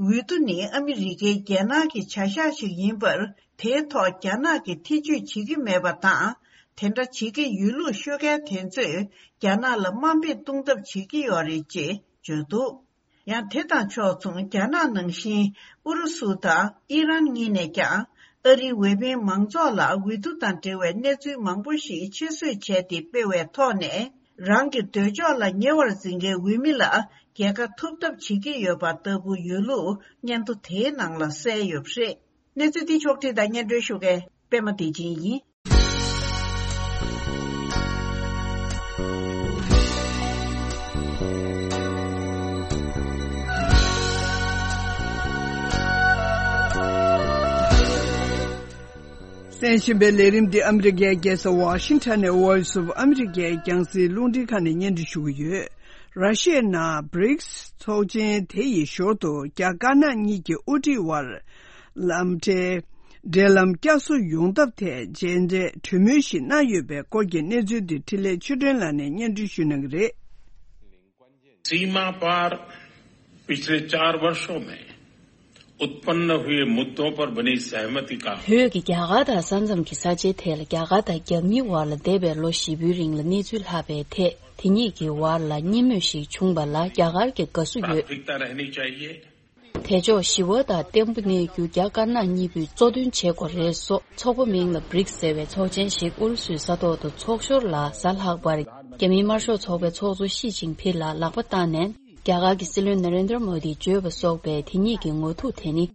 བསྡུ་ནི་ཨ་མི་རི་ཀའི་རྒྱལ་ནང་གི་བྱ་གཞག་ཞིག་ཡིན་པར། དེའི་ཐོག་རྒྱ་ནག་གིས་ཐེ་བྱུས་བྱེད་ཀྱི་མེད་པ་དང་། དེ་འདྲ་བྱེད་ཀྱི་ཡོད་ལུགས་ཤོད་མཁན་དེ་ཚོས་རྒྱ་ནག་ལ་དམའ་འབེབས་གཏོང་ཐབས་བྱེད་ཀྱི་ཡོད་རེད་ཅེས་བརྗོད་འདུག་ཡང་དེ་དང་ཕྱོགས་མཚུངས་རྒྱ་ནག་ནང་བཞིན་ཨུ་རུ་སུ་དང་ཨི་རན་གཉིས་ནས་ཀྱང་ཨ་རིའི་འོས་འཕེན་མང་ཚོགས་ལ་འོས་བསྡུ་དང་འབྲེལ་བའི་གནས་ཚུལ་མང་པོ་ཞིག་ཆེད་བཟོས་བྱས་ཏེ་སྤེལ་བའི་ཐོག་ནས། རང་གི་འདོད་ཕྱོགས་ལ་ཉེ་བར་འཛིན་མཁན་འོས་མི་ལ་རྒྱལ་ཁ་ཐོབ་ཐབས་བྱེད་ཀྱི་ཡོད་པ་ལྟ་བུ་ཡོད་ལུགས་སྙན་ཐོ་དེའི་ནང་ལ་གསལ་ཡོད་པ་རེད། གནས་ཚུལ་འདི་ཕྱོགས་བསྒྲིགས་དང་སྙན་སྒྲོན་ཞུ་མཁན་པད་མ་བདེ་ཆེན་ཡིན། གསན་བཞིན་པའི་ལས་རིམ་འདི་ཨ་མི་རི་ཀའི་རྒྱལ་ས་ཝ་ཤིང་ཊོན་ནས་Voice of America་རྒྱང་སྲིང་རླུང་འཕྲིན་ཁང་ནས་སྙན་སྒྲོན་ཞུ་གི་ཡོད། ར་ཤི་ཡའི་ནང་བྷི་རིགས་ཚོགས་ཆེན་དེ་ཡི་ཞོར་དུ་རྒྱ་དཀར་ནག་གཉིས་ཀྱི་དབུ་ཁྲིད་དབར་ལམ་འབྲེལ་འབྲེལ་ལམ་བསྐྱར་གསོ་ཡོང་ཐབས་ཐད་མཇལ་འཕྲད་གྲོས་མོལ་ཞིག་གནང་ཡོད་པའི་སྐོར་གྱི་གནས་ཚུལ་འདི་འཕྲིན་ལས་ཆོས་སྒྲོན་ལགས་ནས་སྙན་སྒྲོན་ཞུ་གནང་གི་རེད། सीमा पार पिछले चार वर्षों में उत्पन्न हुए मुद्दों पर बनी सहमति का བོད་ཀྱི་རྒྱ་གར་དང་ས་མཚམས་ཀྱི་ས་ཆའི་ཐད་ལ་རྒྱ་གར་དང་རྒྱ་མིའི་དབར་ལ་འདས་པའི་ལོ་བཞི་པོའི་རིང་ལ་གནས་ཚུལ་ལྷག་པའི་ཐད་དེ་གཉིས་ཀྱི་དབར་ལ་གཉིས་མོས་ཤིག་བྱུང་བ་ལ་རྒྱ་གར་གྱི་དགའ་བསུ་ཡོད། प्राथमिकता रहनी चाहिए། དེ་ཕྱོགས་ཞི་བ་དང་བརྟན་པོ་གནས་རྒྱུ་རྒྱ་དཀར་ནག་གཉིས་པོས་གཙོ་དོན་བྱེད་དགོས་རེད་སོགས་ཚོགས་པ་མིང་ལ་བྷི་རིགས་ཟེར་བའི་ཚོགས་ཆེན་ཞིག་ཨུ་རུ་སུའི་ས་ཐོག་ཏུ་ཚོགས་ཞོར་ལ་གཟའ་ལྷག་པར་རྒྱ་མིའི་དམར་ཤོག་ཚོགས་པའི་ཚོགས་གཙོ་ཞི་ཅིན་ཕིང་ལ་ལག་པ་བཏང་ནས་རྒྱ་གར་གྱི་སྲིད་བློན་ནཱ་རེན་དྲ་མོ་དིས་བརྗོད་པ་སོགས་པའི་དེ་གཉིས་ཀྱི་ངོ་ཐུག་དེ་ནི།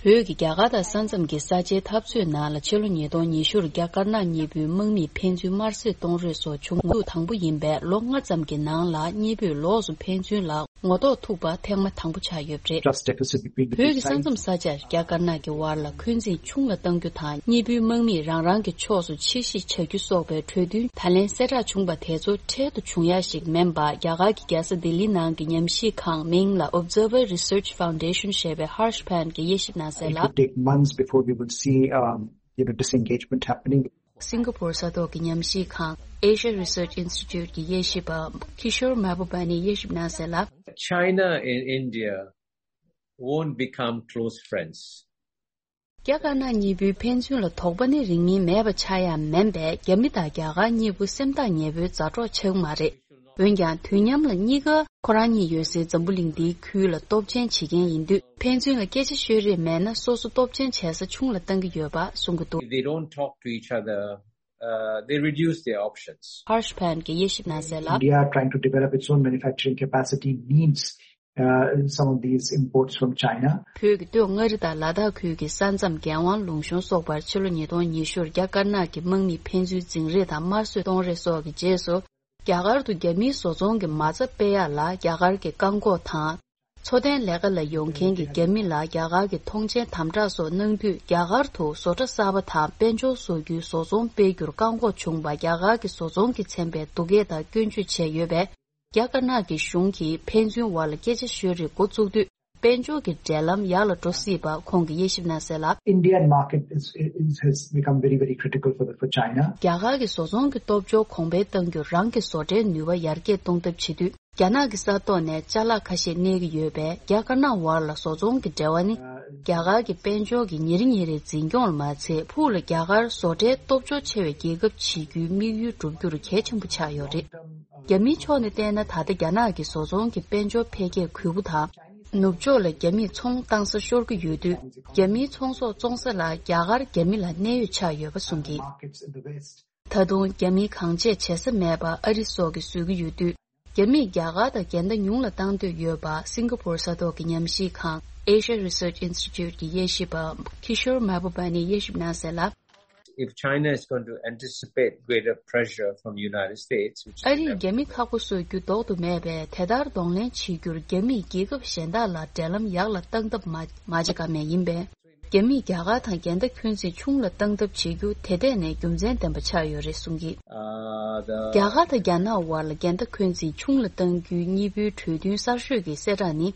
བོད་ཀྱི་རྒྱ་གར་དང་ས་མཚམས་ཀྱི་ས་ཆའི་འཐབ་རྩོད་ནང་ལ་ཕྱི་ལོ་ཉིས་སྟོང་ཉི་ཤུར་རྒྱ་དཀར་ནག་གཉིས་པོའི་དམག་མིས་ཕན་ཚུན་དམར་གསོད་གཏོང་རེས་སོགས་བྱུང་ངོ་ཐུག་དང་པོ་ཡིན་པས་ལོ་ལྔ་ཙམ་གྱི་ནང་ལ་གཉིས་པོས་ལོགས་སུ་ཕན་ཚུན་ལ་ངོ་ཐོག་ཐུག་པ་ཐེངས་མ་དང་པོ་ཆགས་ཡོད་པ་རེད། Trust deficit between the two sides. བོད་ཀྱི་ས་མཚམས་ས་ཆར་རྒྱ་དཀར་ནག་གི་དབར་ལ་འཁོན་འཛིན་ཆུང་ལ་གཏང་རྒྱུ་དང་། གཉིས་པོའི་དམག་མིས་རང་རང་གི་ཕྱོགས་སུ་ཕྱིར་བཤིག་བྱ་རྒྱུ་སོགས་པའི་གྲོས་མཐུན་ད་ལན་གསལ་བསྒྲགས་བྱུང་པ་དེ་ཚོ་འཕྲལ་དུ་བྱུང་ཡ་ཞིག་མིན་པ། རྒྱ་གར་གྱི་རྒྱལ་ས་ལྡི་ལི་ནང་གི་ཉམས་ཞིབ་ཁང་མིང་ལ་Observer Research Foundation ཞེས་པའི་Harsh Pant གྱིས་དབྱེ་ཞིབ་གནང་གསལ་It ལ། Could take months before we will see, um, you know, disengagement happening. སིང་ག་པོར་ས་ཐོག་གི་ཉམས་ཞིབ་ཁང་Asia Research Institute གྱི་དབྱེ་ཞིབ་པ་Kishore Mahbubani ཡིས་དབྱེ་ཞིབ་གནང་གསལ་ལ། China and India won't become close friends. རྒྱ་དཀར་ནག་གཉིས་པོའི་ཕན་ཚུན་ལ་དོགས་པ་ནི་རིང་མིན་མེད་པ་ཆགས་ཡ་མིན་པས། རྒྱ་མི་དང་རྒྱ་གར་གཉིས་པོ་སེམས་ཐག་ཉེ་པོའི་མཛའ་གྲོགས་ཆགས་མ་རེད། འོན་ཀྱང་དུས་མཉམ་ལ་གཉིས་ཀ་ཁོ་རང་གཉིས་ཡོད་སའི་འཛམ་བུ་གླིང་འདིའི་ཁུལ་ལ་སྟོབས་ཆེན་བྱེད་མཁན་ཡིན་དུས། ཕན་ཚུན་ལ་སྐད་ཆ་ཤོད་རེས་མེད་ན་སོ་སོ་སྟོབས་ཆེན་བྱེད་ས་ཆུང་ལ་བཏང་གི་ཡོད་པ་གསུང་གི་འདུག If they don't talk to each other, uh, they reduce their options. Harsh Pant གྱིས་དབྱེ་ཞིབ་གནང་གསལ་ལ། India trying to develop its own manufacturing capacity needs, uh, some of these imports from China. བོད་ཀྱི་སྟོད་མངའ་རིས་དང་ལ་དྭགས་ཁུལ་གྱི་ས་མཚམས་འགན་དབང་ལུང་གཤོང་སོགས་པར་ཕྱི་ལོ་ཉིས་སྟོང་ཉི་ཤུར་རྒྱ་དཀར་ནག་གི་དམག་མིས་ཕན་ཚུན་འཛིང་རེས་དང་དམར་གསོད་གཏོང་རེས་སོགས་ཀྱི་རྗེས་སུ། རྒྱ་གར་དུ་རྒྱ་མིའི་བཟོ་ཚོང་གི་མ་རྩ་སྤེལ་ཡག་ལ་རྒྱ་གར་གྱི་བཀག་འགོག་དང་། འཚོ་རྟེན་ལས་ཀ་ལ་ཡོང་མཁན་གྱི་རྒྱ་མི་ལ་རྒྱ་གར་གྱི་མཐོང་མཆན་དམ་དྲག་སོགས་གནང་དུས། རྒྱ་གར་དུ་བཟོ་གྲྭ་གསར་པ་དང་དཔལ་འབྱོར་བཟོ་རྒྱུའི་བཟོ་ཚོང་སྤེལ་རྒྱུར་བཀག་འགོག་བྱུང་བ། རྒྱ་གར་གྱི་བཟོ་ཚོང་གིས་མཚོན་པའི་སྡུག་སྐད་དང་སྐྱོན་བརྗོད་བྱས་ཡོད་པས། རྒྱ་དཀར་ནག་གི་གཞུང་གིས་ཕན་ཚུན་བར་ལ་སྐད་ཆ་ཤོད་རེས་འགོ་བཙུགས་དུས། དཔལ་འབྱོར་གྱི་འབྲེལ་ལམ་ཡག་ལ་འགྲོ་སྲིད་པ་ཁོང་གིས་དབྱེ་ཞིབ་གནང་གསལ་ལ། Indian market is, is, has become very, very critical for the, for China. རྒྱ་གར་གྱི་བཟོ་ཚོང་གི་སྟོབས་འབྱོར་གོང་འཕེལ་གཏང་རྒྱུར་རང་གི་བཟོ་གྲྭའི་ནུས་པ་ཡར་རྒྱས་གཏོང་ཐབས་བྱེད་དུས། རྒྱ་ནག་གི་ས་ཐོག་ནས་ཅ་ལག་ཁ་ཤས་གནས་ཀྱི་ཡོད་པས། རྒྱ་དཀར་ནག་དབར་ལ་བཟོ་ཚོང་གི་འབྲེལ་བ་ནི། རྒྱ་གར་གྱི་དཔལ་འབྱོར་གྱི་ཉིན་རེ་ཉིན་རེའི་འཛིན་སྐྱོང་ལ་མ་ཚད། ཕུགས་ལ་རྒྱ་གར་བཟོ་གྲྭའི་སྟོབས་འབྱོར་ཆེ་བའི་རྒྱལ་ཁབ་བྱེད་རྒྱུའི་དམིགས་ཡུལ་འགྲུབ་རྒྱུར་གལ་ཆེན་པོ་ཆགས་ཡོད་རེད། རྒྱ་མིའི་ཕྱོགས་ནས་བལྟས་ན། ད་ལྟ་རྒྱ་ནག་གི་བཟོ་ཚོང་གི་དཔལ་འབྱོར་འཕེལ་རྒྱས་གུས་པོ་དང་། ནུབ་ཕྱོགས་ལ་རྒྱ་མིས་ཚོང་བཏང་ས་ཤོར་གྱི་ཡོད་དུས། རྒྱ་མིའི་ཚོང་ཟོག་བཙོང་ས་ལ་རྒྱ་གར་རྒྱ་མི་ལ་གནད་ཡོད་ཆགས་ཡོད་པ་གསུངས་ཀྱིས། ད་དུང་རྒྱ་མིའི་གང་བྱས་བྱེད་ས་མེད་པར་ཨ་རི་སོགས་ཀྱིས་བཟོས་ཀྱི་ཡོད་དུས། རྒྱ་མིས་རྒྱ་གར་དང་འགལ་ཟླ་ཉུང་ལ་བཏང་འདོད་ཡོད་པ་སིང་ག་པུར་ས་ཐོག་གི་ཉམས་ཞིབ་ཁང་Asia Research Institute གི་དབྱེ་ཞིབ་པ་Kishore Mahbubani ཡིས་དབྱེ་ཞིབ་གནང་གསལ་ལ། If China is going to anticipate greater pressure from the United States, which is ཨ་རིས་རྒྱ་མི་ཁག་པོ་བཟོ་རྒྱུ་ལྡོག་ཏུ་མེད་པས། དེ་ལྟར་གདོང་ལེན་བྱེད་རྒྱུར་རྒྱ་མིས་རྒྱལ་ཁབ་གཞན་དག་ལ་འབྲེལ་ལམ་ཡག་ལ་བཏང་ཐབས་མ་མ་བྱེད་ཀ་མེད་ཡིན་པས། རྒྱ་མིས་རྒྱ་གར་དང་འགལ་ཟླ་འཁོན་འཛིན་ཆུང་ལ་བཏང་ཐབས་བྱེད་རྒྱུ་དེ་ལྟས་ནས་རྒྱུ་མཚན་ལྡན་པ་ཆགས་ཡོད་རེད་གསུངས་ཀྱིས། Uh, the རྒྱ་གར་དང་རྒྱ་ནག་དབར་ལ་འགལ་ཟླ་འཁོན་འཛིན་ཆུང་ལ་གཏང་རྒྱུའི་གཉིས་པོའི་གྲོས་མཐུན་གསར་ཤོས་ཀྱི་གསལ་བསྒྲགས་ནི།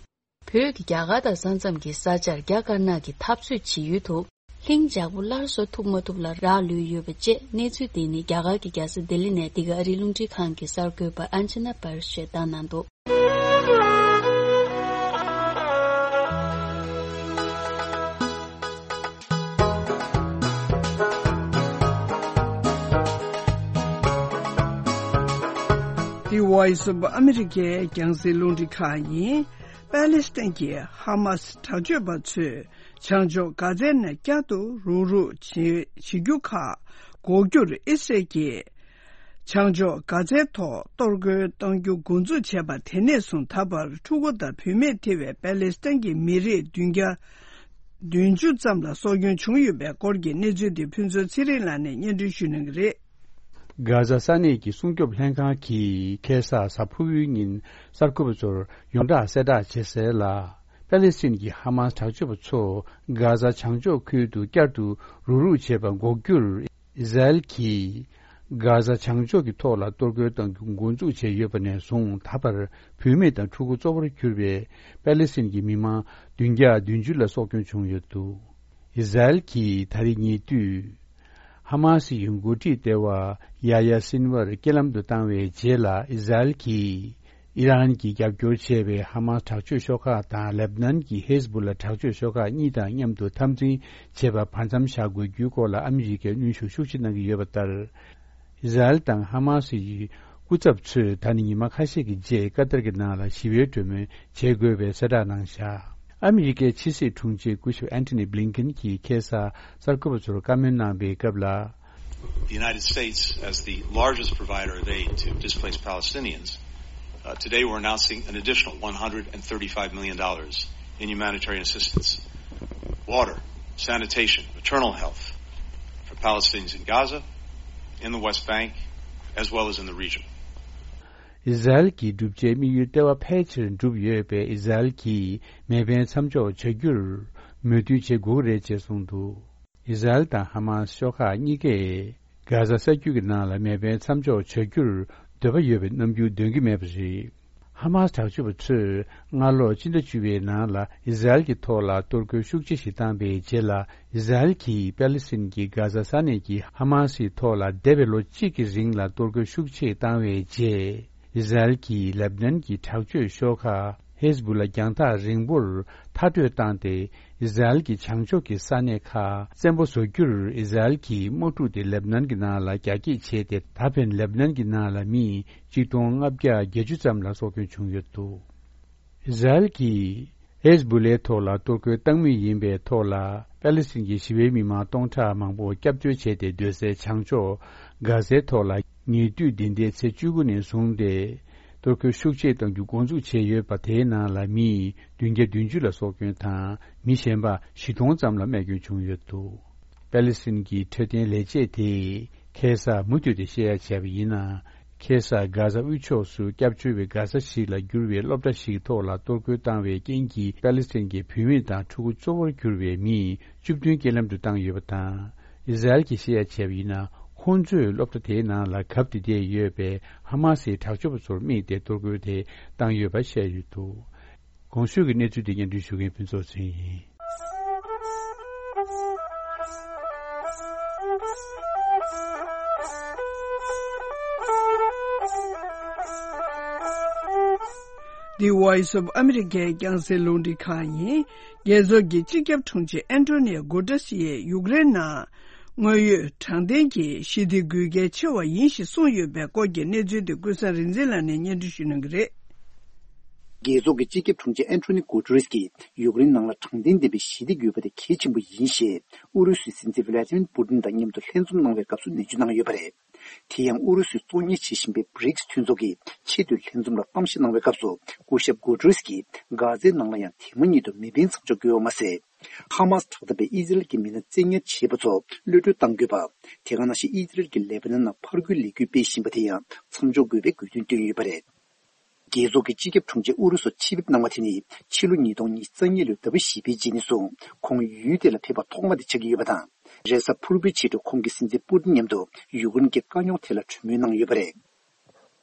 བོད་ཀྱིས་རྒྱ་གར་དང་ས་མཚམས་ཀྱི་ས་ཆར་རྒྱ་དཀར་ནག་གི་འཐབ་རྩོད་བྱེད་ཡུལ་དུ། ལྷིང་འཇགས་པོ་སླར་གསོ་ཐུབ་མ་ཐུབ་ལ་རག་ལུས་ཡོད་པ་བཅས། གནས་ཚུལ་འདི་ནི་རྒྱ་གར་གྱི་རྒྱལ་ས་ལྡི་ལི་ནས་འདི་ག་ཨ་རིའི་རླུང་འཕྲིན་ཁང་གི་གསར་འགོད་པ་ཨན་ཅི་ན་པར་ཞེས་བཏང་གནང་འདུག The Voice of America རྒྱང་སྲིང་རླུང་འཕྲིན་ཁང་ཡིན། པཱ་ལི་སི་ཐན་གྱི་ཧ་མ་སི་དྲག་སྤྱོད་པ་ཚོས་བྱང་ཕྱོགས་གྷ་ཛའི་ནང་བསྐྱར་དུ་རུག་རུག་བྱེད་བྱེད་རྒྱུ་ཁག་འགོག་རྒྱུར་ཨི་སི་རལ་གྱིས་བྱང་ཕྱོགས་གྷ་ཛའི་ཐོག་གཏོར་རྒོལ་གཏོང་རྒྱུ་འགོ་འཛུགས་བྱས་པ་དེ་ནས་བཟུང་ད་བར་ཕྲུ་གུ་དང་བུད་མེད་ཐེ་བའི་པཱ་ལི་སི་ཐན་གྱི་མི་རིགས་བདུན་བརྒྱ་བདུན་ཅུ་ཙམ་ལ་སྲོག་སྐྱོན་བྱུང་ཡོད་པའི་སྐོར་གྱི་གནས་ཚུལ་དེ་ཕུན་ཚོགས་ཚེ་རིང་ལགས་ནས་སྙན་སྒྲོན་ཞུ་གནང་གི་རེད། གྷ་ཛ་ས་གནས་ཀྱི་སྲུང་སྐྱོབ་ལྷན་ཁང་གིས་ཁ་སང་གཟའ་ཕུར་བུའི་ཉིན་གསར་འགོད་པ་ཚོར་ཡོངས་བསྒྲགས་གསལ་བསྒྲགས་བྱས་གསལ་ལ། པཱ་ལི་སི་ཐན་གྱི་ཧ་མ་སི་དྲག་སྤྱོད་པ་ཚོ་གྷ་ཛ་བྱང་ཕྱོགས་ཁུལ་དུ་བསྐྱར་དུ་རུག་རུག་བྱེད་པ་འགོག་རྒྱུར། ཨི་ཟ་རེལ་གྱིས་གྷ་ཛ་བྱང་ཕྱོགས་ཀྱི་ཐོག་ལ་གཏོར་རྒོལ་གཏང་རྒྱུ་འགོ་འཛུགས་བྱས་ཡོད་པ་ནས་བཟུང་ད་བར་བུད་མེད་དང་ཕྲུ་གུ་གཙོ་བོར་གྱུར་པའི་པཱ་ལི་སི་ཐན་གྱི་མི་མང་བདུན་བརྒྱ་བདུན་ཅུ་ལ་སྲོག་སྐྱོན་བྱུང་ཡོད་འདུག་ཨི་ཟ་རེལ་གྱིས་ད་རེས་ཉེ་དུས། ཧ་མ་སི་ཡི་འགོ་ཁྲིད་ལྟེ་བ་ཡ་ཡ་སིན་ཝར་རྐྱེན་ལམ་དུ་བཏང་བའི་རྗེས་ལ། ཨི་ཟ་རེལ་གྱིས་ཨི་རན་གྱིས་རྒྱབ་སྐྱོར་བྱས་པའི་ཧ་མ་སི་དྲག་སྤྱོད་ཤོག་ཁག་དང་ལེབ་ནན་གྱི་ཧེ་ཟ་བུ་ལ་དྲག་སྤྱོད་ཤོག་ཁག་གཉིས་དང་མཉམ་དུ་འཐབ་འཛིང་བྱེད་པར་བར་མཚམས་བཞག་དགོས་རྒྱུའི་སྐོར་ལ་ཨ་མི་རི་ཀས་གནོན་ཤུགས་ཤུགས་ཆེ་གནང་གི་ཡོད་པ་ལྟར། ཨི་ཟ་རེལ་དང་ཧ་མ་སི་ཡི་སྐུ་ཚབ་ཚོས་ད་ནི་ཉི་མ་ཁ་ཤས་ཀྱི་རྗེས་ཀ་ཏར་གྱི་ནང་ལ་ཞི་བའི་གྲོས་མོལ་བྱེད་དགོས་པའི་གསལ་བསྒྲགས་གནང་བཞག་ཨ་མི་རི་ཀའི་ཕྱི་སྲིད་དྲུང་ཆེ་སྐུ་ཞབས་ཨན་ཐོ་ནི་བྷི་ལིན་ཀེན་གྱིས་ཁ་སང་གསར་འགོད་པ་ཚོར་བཀའ་མོལ་གནང་པའི་སྐབས་ལ། The United States, as the largest provider of aid to displaced Palestinians, uh, today we're announcing an additional one hundred thirty-five million dollars in humanitarian assistance, water, sanitation, maternal health for Palestinians in Gaza, in the West Bank, as well as in the region. ཨི་ཟ་རེལ་གྱི་བསྒྲུབ་བྱའི་དམིགས་ཡུལ་ལྟེ་བ་ཕལ་ཆེར་འགྲུབ་ཡོད་པས། ཨི་ཟ་རེལ་གྱིས་མེ་འཕེན་མཚམས་འཇོག་བྱ་རྒྱུར་མོས་མཐུན་བྱེད་དགོས་ཀྱི་རེད་ཅེས་གསུངས་འདུག་ཨི་ཟ་རེལ་དང་ཧ་མ་སི་ཤོག་ཁག་གཉིས་ཀས་གྷ་ཛ་ས་རྒྱུད་ཀྱི་ནང་ལ་མེ་འཕེན་མཚམས་འཇོག་བྱ་རྒྱུར་འདོད་པ་ཡོད་པའི་རྣམ་འགྱུར་འདོན་གྱི་མེད་པ་རེད། ཧ་མ་སི་དྲག་སྤྱོད་པ་ཚོས་སྔ་ལོ་སྤྱི་ཟླ་བཅུ་པའི་ནང་ལ་ཨི་ཟ་རེལ་གྱི་ཐོག་ལ་གཏོར་རྒོལ་ཤུགས་ཆེ་ཞིག་བཏང་པའི་རྗེས་ལ། ཨི་ཟ་རེལ་གྱིས་པཱ་ལི་སི་ཐན་གྱི་གྷ་ཛ་ས་གནས་ཀྱི་ཧ་མ་སིའི་ཐོག་ལ་འདས་པའི་ལོ་གཅིག་གི་རིང་ལ་གཏོར་རྒོལ་ཤུགས་ཆེ་བཏང་བའི་རྗེས། ཨི་ཟ་རེལ་གྱིས་ལེབ་ནན་གྱི་དྲག་སྤྱོད་ཤོག་ཁག་ཧེ་ཟ་བུ་ལ་རྒྱང་ཐག་རིང་པོར་མཐར་སྐྲོད་བཏང་སྟེ། ཨི་ཟ་རེལ་གྱི་བྱང་ཕྱོགས་ཀྱི་ས་གནས་ཁག་བཙན་པོ་བཟོ་རྒྱུར་ཨི་ཟ་རེལ་གྱིས་དམག་འཁྲུག་དེ་ལེབ་ནན་གྱི་ནང་ལ་རྒྱ་སྐྱེད་བྱས་ཏེ། ད་ཕན་ལེབ་ནན་གྱི་ནང་ལ་མི་གཅིག་སྟོང་ལྔ་བརྒྱ་བརྒྱད་ཅུ་ཙམ་ལ་སྲོག་སྐྱོན་བྱུང་ཡོད་འདུག་ཨི་ཟ་རེལ་གྱིས་ཧེ་ཟ་བུ་ལའི་ཐོག་ལ་གཏོར་རྒོལ་བཏང་མུས་ཡིན་པའི་ཐོག་ལ། པཱ་ལི་སི་ཐན་གྱི་ཞི་བའི་མི་མང་སྟོང་ཕྲག་མང་པོ་སྐྱབས་བཅོལ་བྱས་ཏེ། སྡོད་སའི་བྱང་ཕྱོགས་གྷ་ཟའི་ཐོག་ལ་ཉེ་དུས་འདི་ཟླའི་ཚེས་བཅུ་དགུ་ནས་བཟུང་སྟེ་གཏོར་རྒོལ་ཤུགས་ཆེ་གཏང་རྒྱུ་འགོ་འཛུགས་བྱས་ཡོད་པ། དེའི་ནང་ལ་མི་བདུན་བརྒྱ་བདུན་ཅུ་ལ་སྲོག་སྐྱོན་དང་། མི་གཞན་པ་བཞི་སྟོང་ཙམ་ལ་རྨས་སྐྱོན་བྱུང་ཡོད་འདུག་པཱ་ལི་སི་ཐན་གྱི་འཕྲོད་བསྟེན་ལས་བྱེད་དེས་ཁ་སང་མུ་མཐུད་དེ་བཤད་ཡ་བྱས་པ་ཡིན་ན། ཁ་སང་གྷ་ཟ་དབུས་ཕྱོགས་སུ་སྐྱབས་བཅོལ་བའི་གྷ་ཟ་ཞིག་ལ་གྱུར་བའི་སློབ་གྲྭ་ཞིག་ཐོག་ལ་གཏོར་རྒོལ་བཏང་བའི་རྐྱེན་གྱིས། པཱ་ལི་སི་ཐན་གྱི་བུད་མེད་དང་ཕྲུ་གུ་གཙོ་བོར་གྱུར་པའི་མི་བཅུ་བདུན་རྐྱེན་ལམ་དུ་བཏང་ཡོད་པ་དང་། ཨི་ཟ་རེལ་གྱིས་བཤད་ཡ་བྱས་པ་ཡིན་ན། ཁོང་ཚོས་སློབ་གྲྭ་དེའི་ནང་ལ་གབ་སྟེ་བསྡད་ཡོད་པའི་ཧ་མ་སིའི་དྲག་སྤྱོད་པ་ཚོར་དམིགས་ཏེ་གཏོར་རྒོལ་དེ་བཏང་ཡོད་པ་བཤད་ཡོད་འདུག་གོང་ཞུས་ཀྱི་གནས་ཚུལ་དེ་སྙན་སྒྲོན་ཞུ་མཁན་ཕུན་ཚོགས་ཚེ་རིང་ཡིན། The Voice of America རྒྱང་སྲིང་རླུང་འཕྲིན་ཁང་ཡིན། རྒྱལ་ཚོགས་ཀྱི་སྤྱི་ཁྱབ་དྲུང་ཆེ་ཨན་ཊོ་ནི་ཡོ་གུ་ཏྲེ་སི་ཡིས་ཡུཀ་རེན་ནང་དངོས་ཡོད་དྲང་བདེན་གྱི་ཞི་བདེ་དགོས་གལ་ཆེ་བ་ཡིན་ཞེས་གསུངས་ཡོད་པའི་སྐོར་གྱི་གནས་ཚུལ་དེ་ཀུན་བཟང་རིག་འཛིན་ལགས་ནས་སྙན་སྒྲོན་ཞུ་གནང་གི་རེད། རྒྱལ་ཚོགས་ཀྱི་སྤྱི་ཁྱབ་དྲུང་ཆེ་ཨན་ཊོ་ནི་གུ་ཏྲེ་སི་ཀྱིས་ཡུཀ་རེན་ནང་ལ་དྲང་བདེན་ལྡན་པའི་ཞི་བདེ་དགོས་པ་དེ་གལ་ཆེན་པོ་ཡིན་ཞེས་ཨུ་རུ་སུའི་སྲིད་འཛིན་ཝི་ལ་ཏི་མིར་པུ་ཏིན་དང་མཉམ་དུ་ལྷན་འཛོམས་གནང་བའི་སྐབས་སུ་ནན་བརྗོད་གནང་ཡོད་པ་རེད། དེ་ཡང་ཨུ་རུ་སུས་གཙོ་གཉེར་བྱེད་བཞིན་པའི་བྷི་རིག་སི་མཐུན་ཚོགས་ཀྱི་ཆེས་མཐོའི་ལྷན་འཛོམས་ལ་གཏམ་བཤད་གནང་བའི་སྐབས་སུ་སྐུ་ཞབས་གུ་ཏྲེ་སི་ཀྱིས་གྷ་ཛའི་ནང་ལ་ཡང་དེ་མ་ཉིད་དུ་མེ་འཕེན་མཚམས་འཇོག་དགོས་པ་མ་ཟད། ཧ་མ་སི་དྲག་འཐབ་པས་ཨི་ཟི་རལ་གྱི་མི་སྣ་བཙན་ཉར་བྱས་པ་ཚོ་གློད་གྲོལ་གཏང་དགོས་པ། དེ་ག་ནང་བཞིན་ཨི་ཟི་རལ་གྱིས་ལེ་པ་ནན་ནང་ཕར་རྒོལ་ལས་འགུལ་སྤེལ་བཞིན་པ་དེ་ཡང་མཚམས་འཇོག་དགོས་པའི་དགོས་འདུན་བཏོན་ཡོད་པ་རེད། རྒྱལ་ཚོགས་ཀྱི་སྤྱི་ཁྱབ་དྲུང་ཆེ་ཨུ་རུ་སུར་ཆེད་ཕེབས་གནང་བ་དེ་ནི་ཕྱི་ལོ་ཉིས་སྟོང་ཉི་ཤུ་རྩ་གཉིས་ལོའི་ཟླ་བ་བཞི་པའི་རྗེས་ནས་བཟུང་ཁོང་ཡུལ་དེ་ལ་ཕེབས་པ་ཐོག་མ་དེ་ཆགས་ཀྱི་ཡོད་པ་དང་། རེས་གཟའ་ཕུར་བུའི་ཕྱི་དྲོ་ཁོང་གིས་སྲིད་འཛིན་པུ་ཏིན་མཉམ་དུ་ཡུཀ་རེན་གྱི་དཀའ་རྙོག་ཐད་ལ་གྲོས་མོལ་གནང་ཡོད་པ་རེད།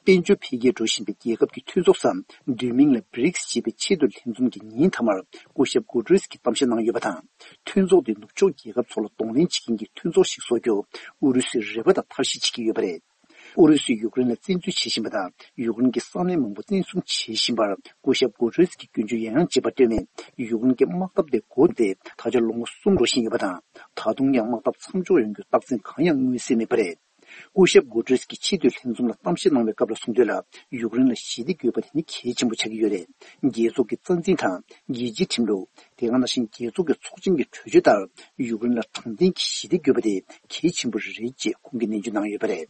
དཔལ་འབྱོར་འཕེལ་རྒྱས་འགྲོ་བཞིན་པའི་རྒྱལ་ཁབ་ཀྱི་མཐུན་ཚོགས་སམ། བསྡུས་མིང་ལ་བྷི་རིག་སི་ཞེས་པའི་ཆེས་མཐོའི་ལྷན་འཛོམས་ཀྱི་ཉིན་མཐའ་མར་སྐུ་ཞབས་གུ་ཏྲེ་སི་ཀྱིས་གཏམ་བཤད་གནང་ཡོད་པ་དང་། མཐུན་ཚོགས་དེས་ནུབ་ཕྱོགས་རྒྱལ་ཁབ་ཚོ་ལ་གདོང་ལེན་བྱེད་མཁན་གྱི་མཐུན་ཚོགས་ཤིག་བཟོ་རྒྱུར་ཨུ་རུ་སུས་རེ་བ་དང་ཐབས་ཤེས་བྱེད་ཀྱི་ཡོད་པ་རེད། ཨུ་རུ་སུས་ཡུཀ་རེན་ལ་བཙན་འཛུལ་བྱེད་བཞིན་པ་དང་། ཡུཀ་རེན་གྱི་ས་གནས་མང་པོ་བཙན་བཟུང་བྱེད་བཞིན་པར་སྐུ་ཞབས་གུ་ཏྲེ་སི་ཀྱིས་སྐྱོན་བརྗོད་ཡང་ཡང་བྱེད་པར་ལྟོས་མེད། ཡུཀ་རེན་གྱི་དམག་འཐབ་དེ་འགོ་བཙུགས་ཏེ་ད་ཆ་ལོ་ངོ་གསུམ་འགྲོ་བཞིན་ཡོད་པ་དང་། ད་དུང་ཡང་དམག་འཐབ་མཚམས་འཇོག་ཡོང་རྒྱུའི་རྟགས་མཚན་གང་ཡང་མངོན་གསལ་མེད་པ་རེད། སྐུ་ཞབས་གུ་ཏྲེ་སི་ཀྱིས་ཆེས་མཐོའི་ལྷན་འཛོམས་ལ་གཏམ་བཤད་གནང་བའི་སྐབས་ལ་གསུངས་དོན་ལ། ཡུཀ་རེན་ལ་ཞི་བདེ་དགོས་པ་དེ་ནི་གལ་ཆེན་པོ་ཆགས་ཀྱི་ཡོད་རེད། རྒྱལ་ཚོགས་ཀྱི་རྩ་འཛིན་དང་། རྒྱལ་སྤྱིའི་ཁྲིམས་ལུགས། དེ་ག་ནང་བཞིན་རྒྱལ་ཚོགས་ཀྱི་ཚོགས་ཆེན་གྱི་གྲོས་ཆོད་ལྟར། ཡུཀ་རེན་ལ་དྲང་བདེན་གྱི་ཞི་བདེ་དགོས་པ་དེ་གལ་ཆེན་པོ་རེད་ཅེས་ཁོང་གིས་ནན་བརྗོད་གནང་ཡོད་པ་རེད།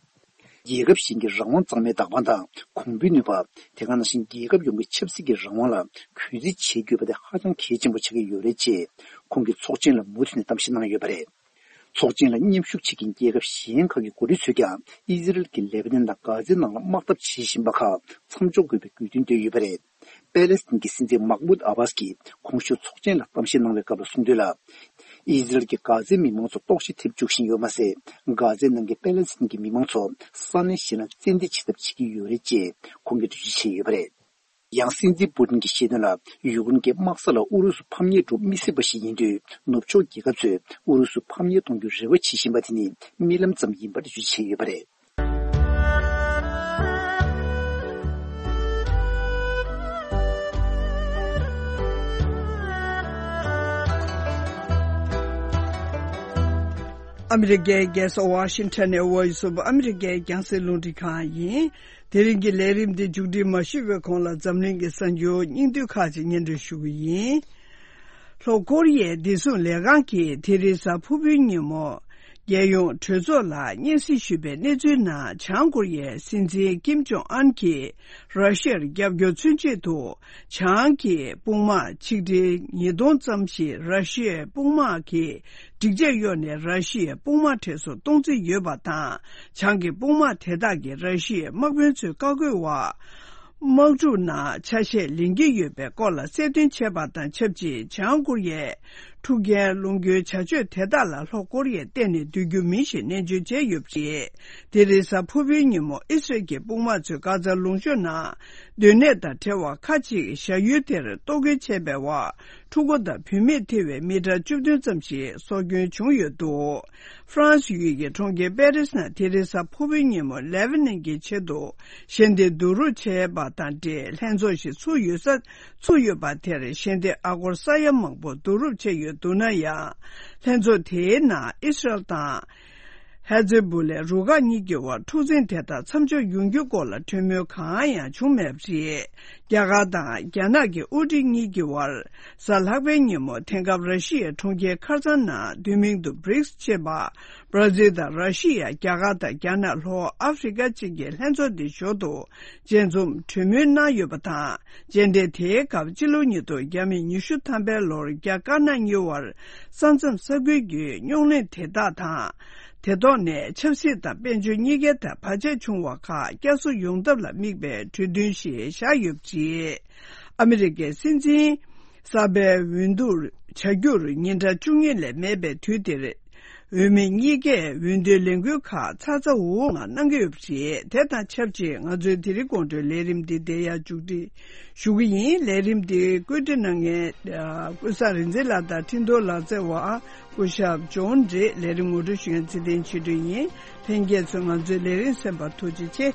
རྒྱལ་ཁབ་གཞན་གྱི་རང་དབང་གཙང་མའི་བདག་དབང་དང་གོང་བུའི་ནུས་པ། དེ་ག་ནང་བཞིན་རྒྱལ་ཁབ་ཡོངས་ཀྱི་ཆབ་སྲིད་ཀྱི་རང་དབང་ལ་གུས་བརྩི་བྱེད་དགོས་པ་དེ་ཧ་ཅང་གལ་ཆེན་པོ་ཆགས་ཀྱི་ཡོད་རེད་ཅེས་ཁོང་གིས་ཚོགས་ཆེན་ལ་མུ་མཐུད་ནས་གཏམ་བཤད་གནང་ཡོད་པ་རེད། ཚོགས་ཆེན་ལ་མཉམ་ཞུགས་བྱེད་མཁན་རྒྱལ་ཁབ་གཞན་ཁག་གི་འགོ་ཁྲིད་ཚོས་ཀྱང་ཨི་ཟི་རལ་གྱིས་ལེ་པ་ནན་དང་གྷ་ཛའི་ནང་ལ་དམག་འཐབ་བྱེད་བཞིན་པ་ཁག་མཚམས་འཇོག་དགོས་པའི་དགོས་འདུན་བཏོན་ཡོད་པ་རེད། པེ་ལེ་སི་ཐན་གྱི་སྲིད་འཛིན་མག་མུད་ཨ་བྷ་སི་ཀྱིས་གོང་ཞུས་ཚོགས་ཆེན་ལ་གཏམ་བཤད་གནང་བའི་སྐབས་ལ་གསུངས་དོན་ལ། ཨི་ཟི་རལ་གྱིས་གྷ་ཛའི་མི་མང་ཚོ་ལྟོགས་ཤི་ཐེབས་བཅུག་བཞིན་ཡོད་མ་ཟད། གྷ་ཛའི་ནང་གི་པེ་ལེ་སི་ཐན་གྱི་མི་མང་ཚོ་ས་གནས་གཞན་ལ་བཙན་འདེད་བྱེད་ཐབས་བྱེད་ཀྱི་ཡོད་རེད་ཅེས་ཁོང་གིས་འགྲེལ་བརྗོད་བྱས་ཡོད་པ་རེད། ཡང་སྲིད་འཛིན་པུ་ཏིན་གྱིས་བཤད་དོན་ལ། ཡུཀ་རེན་གྱི་དམག་ས་ལ་ཨུ་རུ་སུ་ཕམ་ཉེས་འགྲོ་མི་སྲིད་པ་ཞིག་ཡིན་དུས། ནུབ་ཕྱོགས་རྒྱལ་ཁབ་ཚོས་ཨུ་རུ་སུ་ཕམ་ཉེས་གཏོང་རྒྱུའི་རེ་བ་བྱེད་བཞིན་པ་དེ་ནི་རྨི་ལམ་ཙམ་ཡིན་པར་འགྲེལ་བརྗོད་བྱས་ཡོད་པ་རེད། ཨ་མི་རི་ཀའི་རྒྱལ་ས་ཝ་ཤིང་ཊོན་ནས་Voice of America རྒྱང་སྲིང་རླུང་འཕྲིན་ཁང་ཡིན། དེ་རིང་གི་ལས་རིམ་འདི་མཇུག་སྒྲིལ་མ་ཞུས་པའི་གོང་ལ་འཛམ་གླིང་གི་གསར་འགྱུར་སྙིང་བསྡུས་ཁག་ཅིག་སྙན་སྒྲོན་ཞུ་གི་ཡིན། ལྷོ་ཀོ་རི་ཡའི་བདེ་སྲུང་ལས་ཁང་གིས་དེ་རིང་གཟའ་ཕུར་བུའི་ཉིན་མོ། རྒྱལ་ཡོངས་གྲོས་ཚོགས་ལ་སྙན་སེང་ཞུས་པའི་གནས་ཚུལ་ནང་། བྱང་ཀོ་རི་ཡའི་སྲིད་འཛིན་ཀིམ་ཇོང་ཨན་གྱིས་ར་ཤི་ཡར་རྒྱབ་སྐྱོར་མཚོན་ཆེད་དུ། བྱང་གི་དཔུང་དམག་ཆིག་ཁྲི་ཉིས་སྟོང་ཙམ་ཞིག་ར་ཤི་ཡའི་དཔུང་དམག་གི་སྒྲིག་ཆས་གཡོགས་ནས་ར་ཤི་ཡའི་དཔུང་དམག་གྲས་སུ་གཏོང་རྩིས་ཡོད་པ་དང་། བྱང་གི་དཔུང་དམག་དེ་དག་གིས་ར་ཤི་ཡའི་དམག་དཔོན་ཚོའི་བཀའ་བཀོད་འོག་དམག་འཁྲུག་ནང་ཆ་ཤས་ལེན་གྱི་ཡོད་པའི་སྐོར་ལ་གསལ་སྟོན་བྱས་པ་དང་ཆབས་ཅིག་བྱང་ཀོ་རི་ཡས་འཁྲུག་རྐྱེན་སློང་རྒྱུའི་བྱ་སྤྱོད་དེ་དག་ལ་ལྷོ་ཀོ་རི་ཡས་གཏན་ནས་འདོད་རྒྱུ་མིན་ཞེས་ནན་བརྗོད་བྱས་ཡོད་པ་རེད། དེ་རིང་གཟའ་ཕུར་བུའི་ཉིན་མོ་ཨི་སི་རལ་གྱི་དཔུང་དམག་ཚོས་གྷ་ཛ་ལུང་གཤོང་ནང་སྡོད་གནས་དང་བྲལ་བ་ཁག་ཅིག་བཞག་ཡུལ་དེར་གཏོར་རྒོལ་བྱས་པའི་འོག་ཕྲུ་གུ་དང་བུད་མེད་ཐེ་བའི་མི་གྲངས་བཅུ་བདུན་ཙམ་ཞིག་སྲོག་སྐྱོན་བྱུང་ཡོད་འདུག་ཧྥ་རན་སི་ཡུལ་གྱི་གྲོང་ཁྱེར་པེ་རིས་ནང་དེ་རིང་གཟའ་ཕུར་བུའི་ཉིན་མོ་ལེ་བྷ་ནན་གྱི་ཆེད་དུ་ཞལ་འདེབས་བསྡུ་རུབ་བྱས་པ་དང་འབྲེལ་ལྷན་ཚོགས་ཤིག་ཚུགས་ཡོད་ས་ཚུགས་ཡོད་པ་དེར་ཞལ་འདེབས་ཨ་སྒོར་ས་ཡ་མང་པོ་བསྡུ་རུབ་བྱས་ཡོད་འདུག་ན་ཡང་། ལྷན་ཚོགས་དེའི་ནང་ཨི་སི་རལ་དང་། ཧེ་ཛི་བུ་ལའི་རུ་ཁག་གཉིས་ཀྱི་དབར་འཁྲུག་འཛིང་དེ་དག་མཚམས་འཇོག་ཡོང་རྒྱུའི་སྐོར་ལ་གྲོས་མོལ་གང་ཡང་བྱུང་མེད་པ་རེད། རྒྱ་གར་དང་རྒྱ་ནག་གི་དབུ་ཁྲིད་གཉིས་ཀྱི་དབར་གཟའ་ལྷག་པའི་ཉིན་མོ་དེང་སྐབས་ར་ཤི་ཡའི་གྲོང་ཁྱེར་ཁར་སང་ནང་བསྡུས་མིང་དུ་བྷི་རིག་སི་ཅེས་པ། བྷ་ར་ཛིལ་དང་ར་ཤི་ཡ། རྒྱ་གར་དང་རྒྱ་ནག་ལྷོ་ཨ་ཧྥེ་རི་ཀ་བཅས་ཀྱི་ལྷན་ཚོགས་འདིའི་ཞོར་དུ་མཇལ་འཛོམས་གྲོས་མོལ་གནང་ཡོད་པ་དང་། མཇལ་འཕྲད་དེའི་སྐབས་སྤྱི་ལོ་ཉིས་སྟོང་ཉི་ཤུ་ཐམ་པའི་ལོར་རྒྱ་དཀར་ནག་གཉིས་དབར་ས་མཚམས་ས་ཁུལ་གྱི་རྙོག་གླེང་དེ་དག་དང་། དེ་ཐོག་ནས་ཆབ་སྲིད་དང་དཔལ་འབྱོར་གཉིས་ཀའི་ཐད་བར་ཆད་བྱུང་བ་ཁག་བསྐྱར་གསོ་ཡོང་ཐབས་ལ་དམིགས་པའི་གྲོས་མཐུན་ཞིག་བཞག་ཡོད་པ་རེད། ཨ་མི་རི་ཀའི་སྲིད་འཛིན་གསར་པའི་འོས་བསྡུ་བྱ་རྒྱུར་ཉིན་གྲངས་བཅུ་གཉིས་ལས་མེད་པའི་དུས་དེར། འོས་མི་གཉིས་ཀས་འོས་བསྡུའི་ལས་འགུལ་ཁག་ཚ་ཚ་འུར་འུར་ངང་གནང་གི་ཡོད་པ་རེད། དེ་དང་ཆབས་ཅིག་ང་ཚོའི་དེ་རིང་དགོང་དྲོའི་ལས་རིམ་འདི་འདིར་ཡང་མཇུག་སྒྲིལ་ཞུ་གི་ཡིན། ལས་རིམ་འདི་བཀོད་སྒྲིག་གནང་མཁན་ཀུན་བཟང་རིག་འཛིན་ལགས་དང་འཕྲིན་གཏོང་ལག་རྩལ་བ་སྐུ་ཞབས་ཇོན་རེད། ལས་རིམ་ངོ་སྤྲོད་ཞུ་མཁན་ཚེ་བརྟན་ཆོས་སྒྲོན་ཡིན། ལྷན་རྒྱས་ཚོས་ང་ཚོའི་ལས་རིམ་གསན་པར་ཐུགས་རྗེ་ཆེ།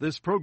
This program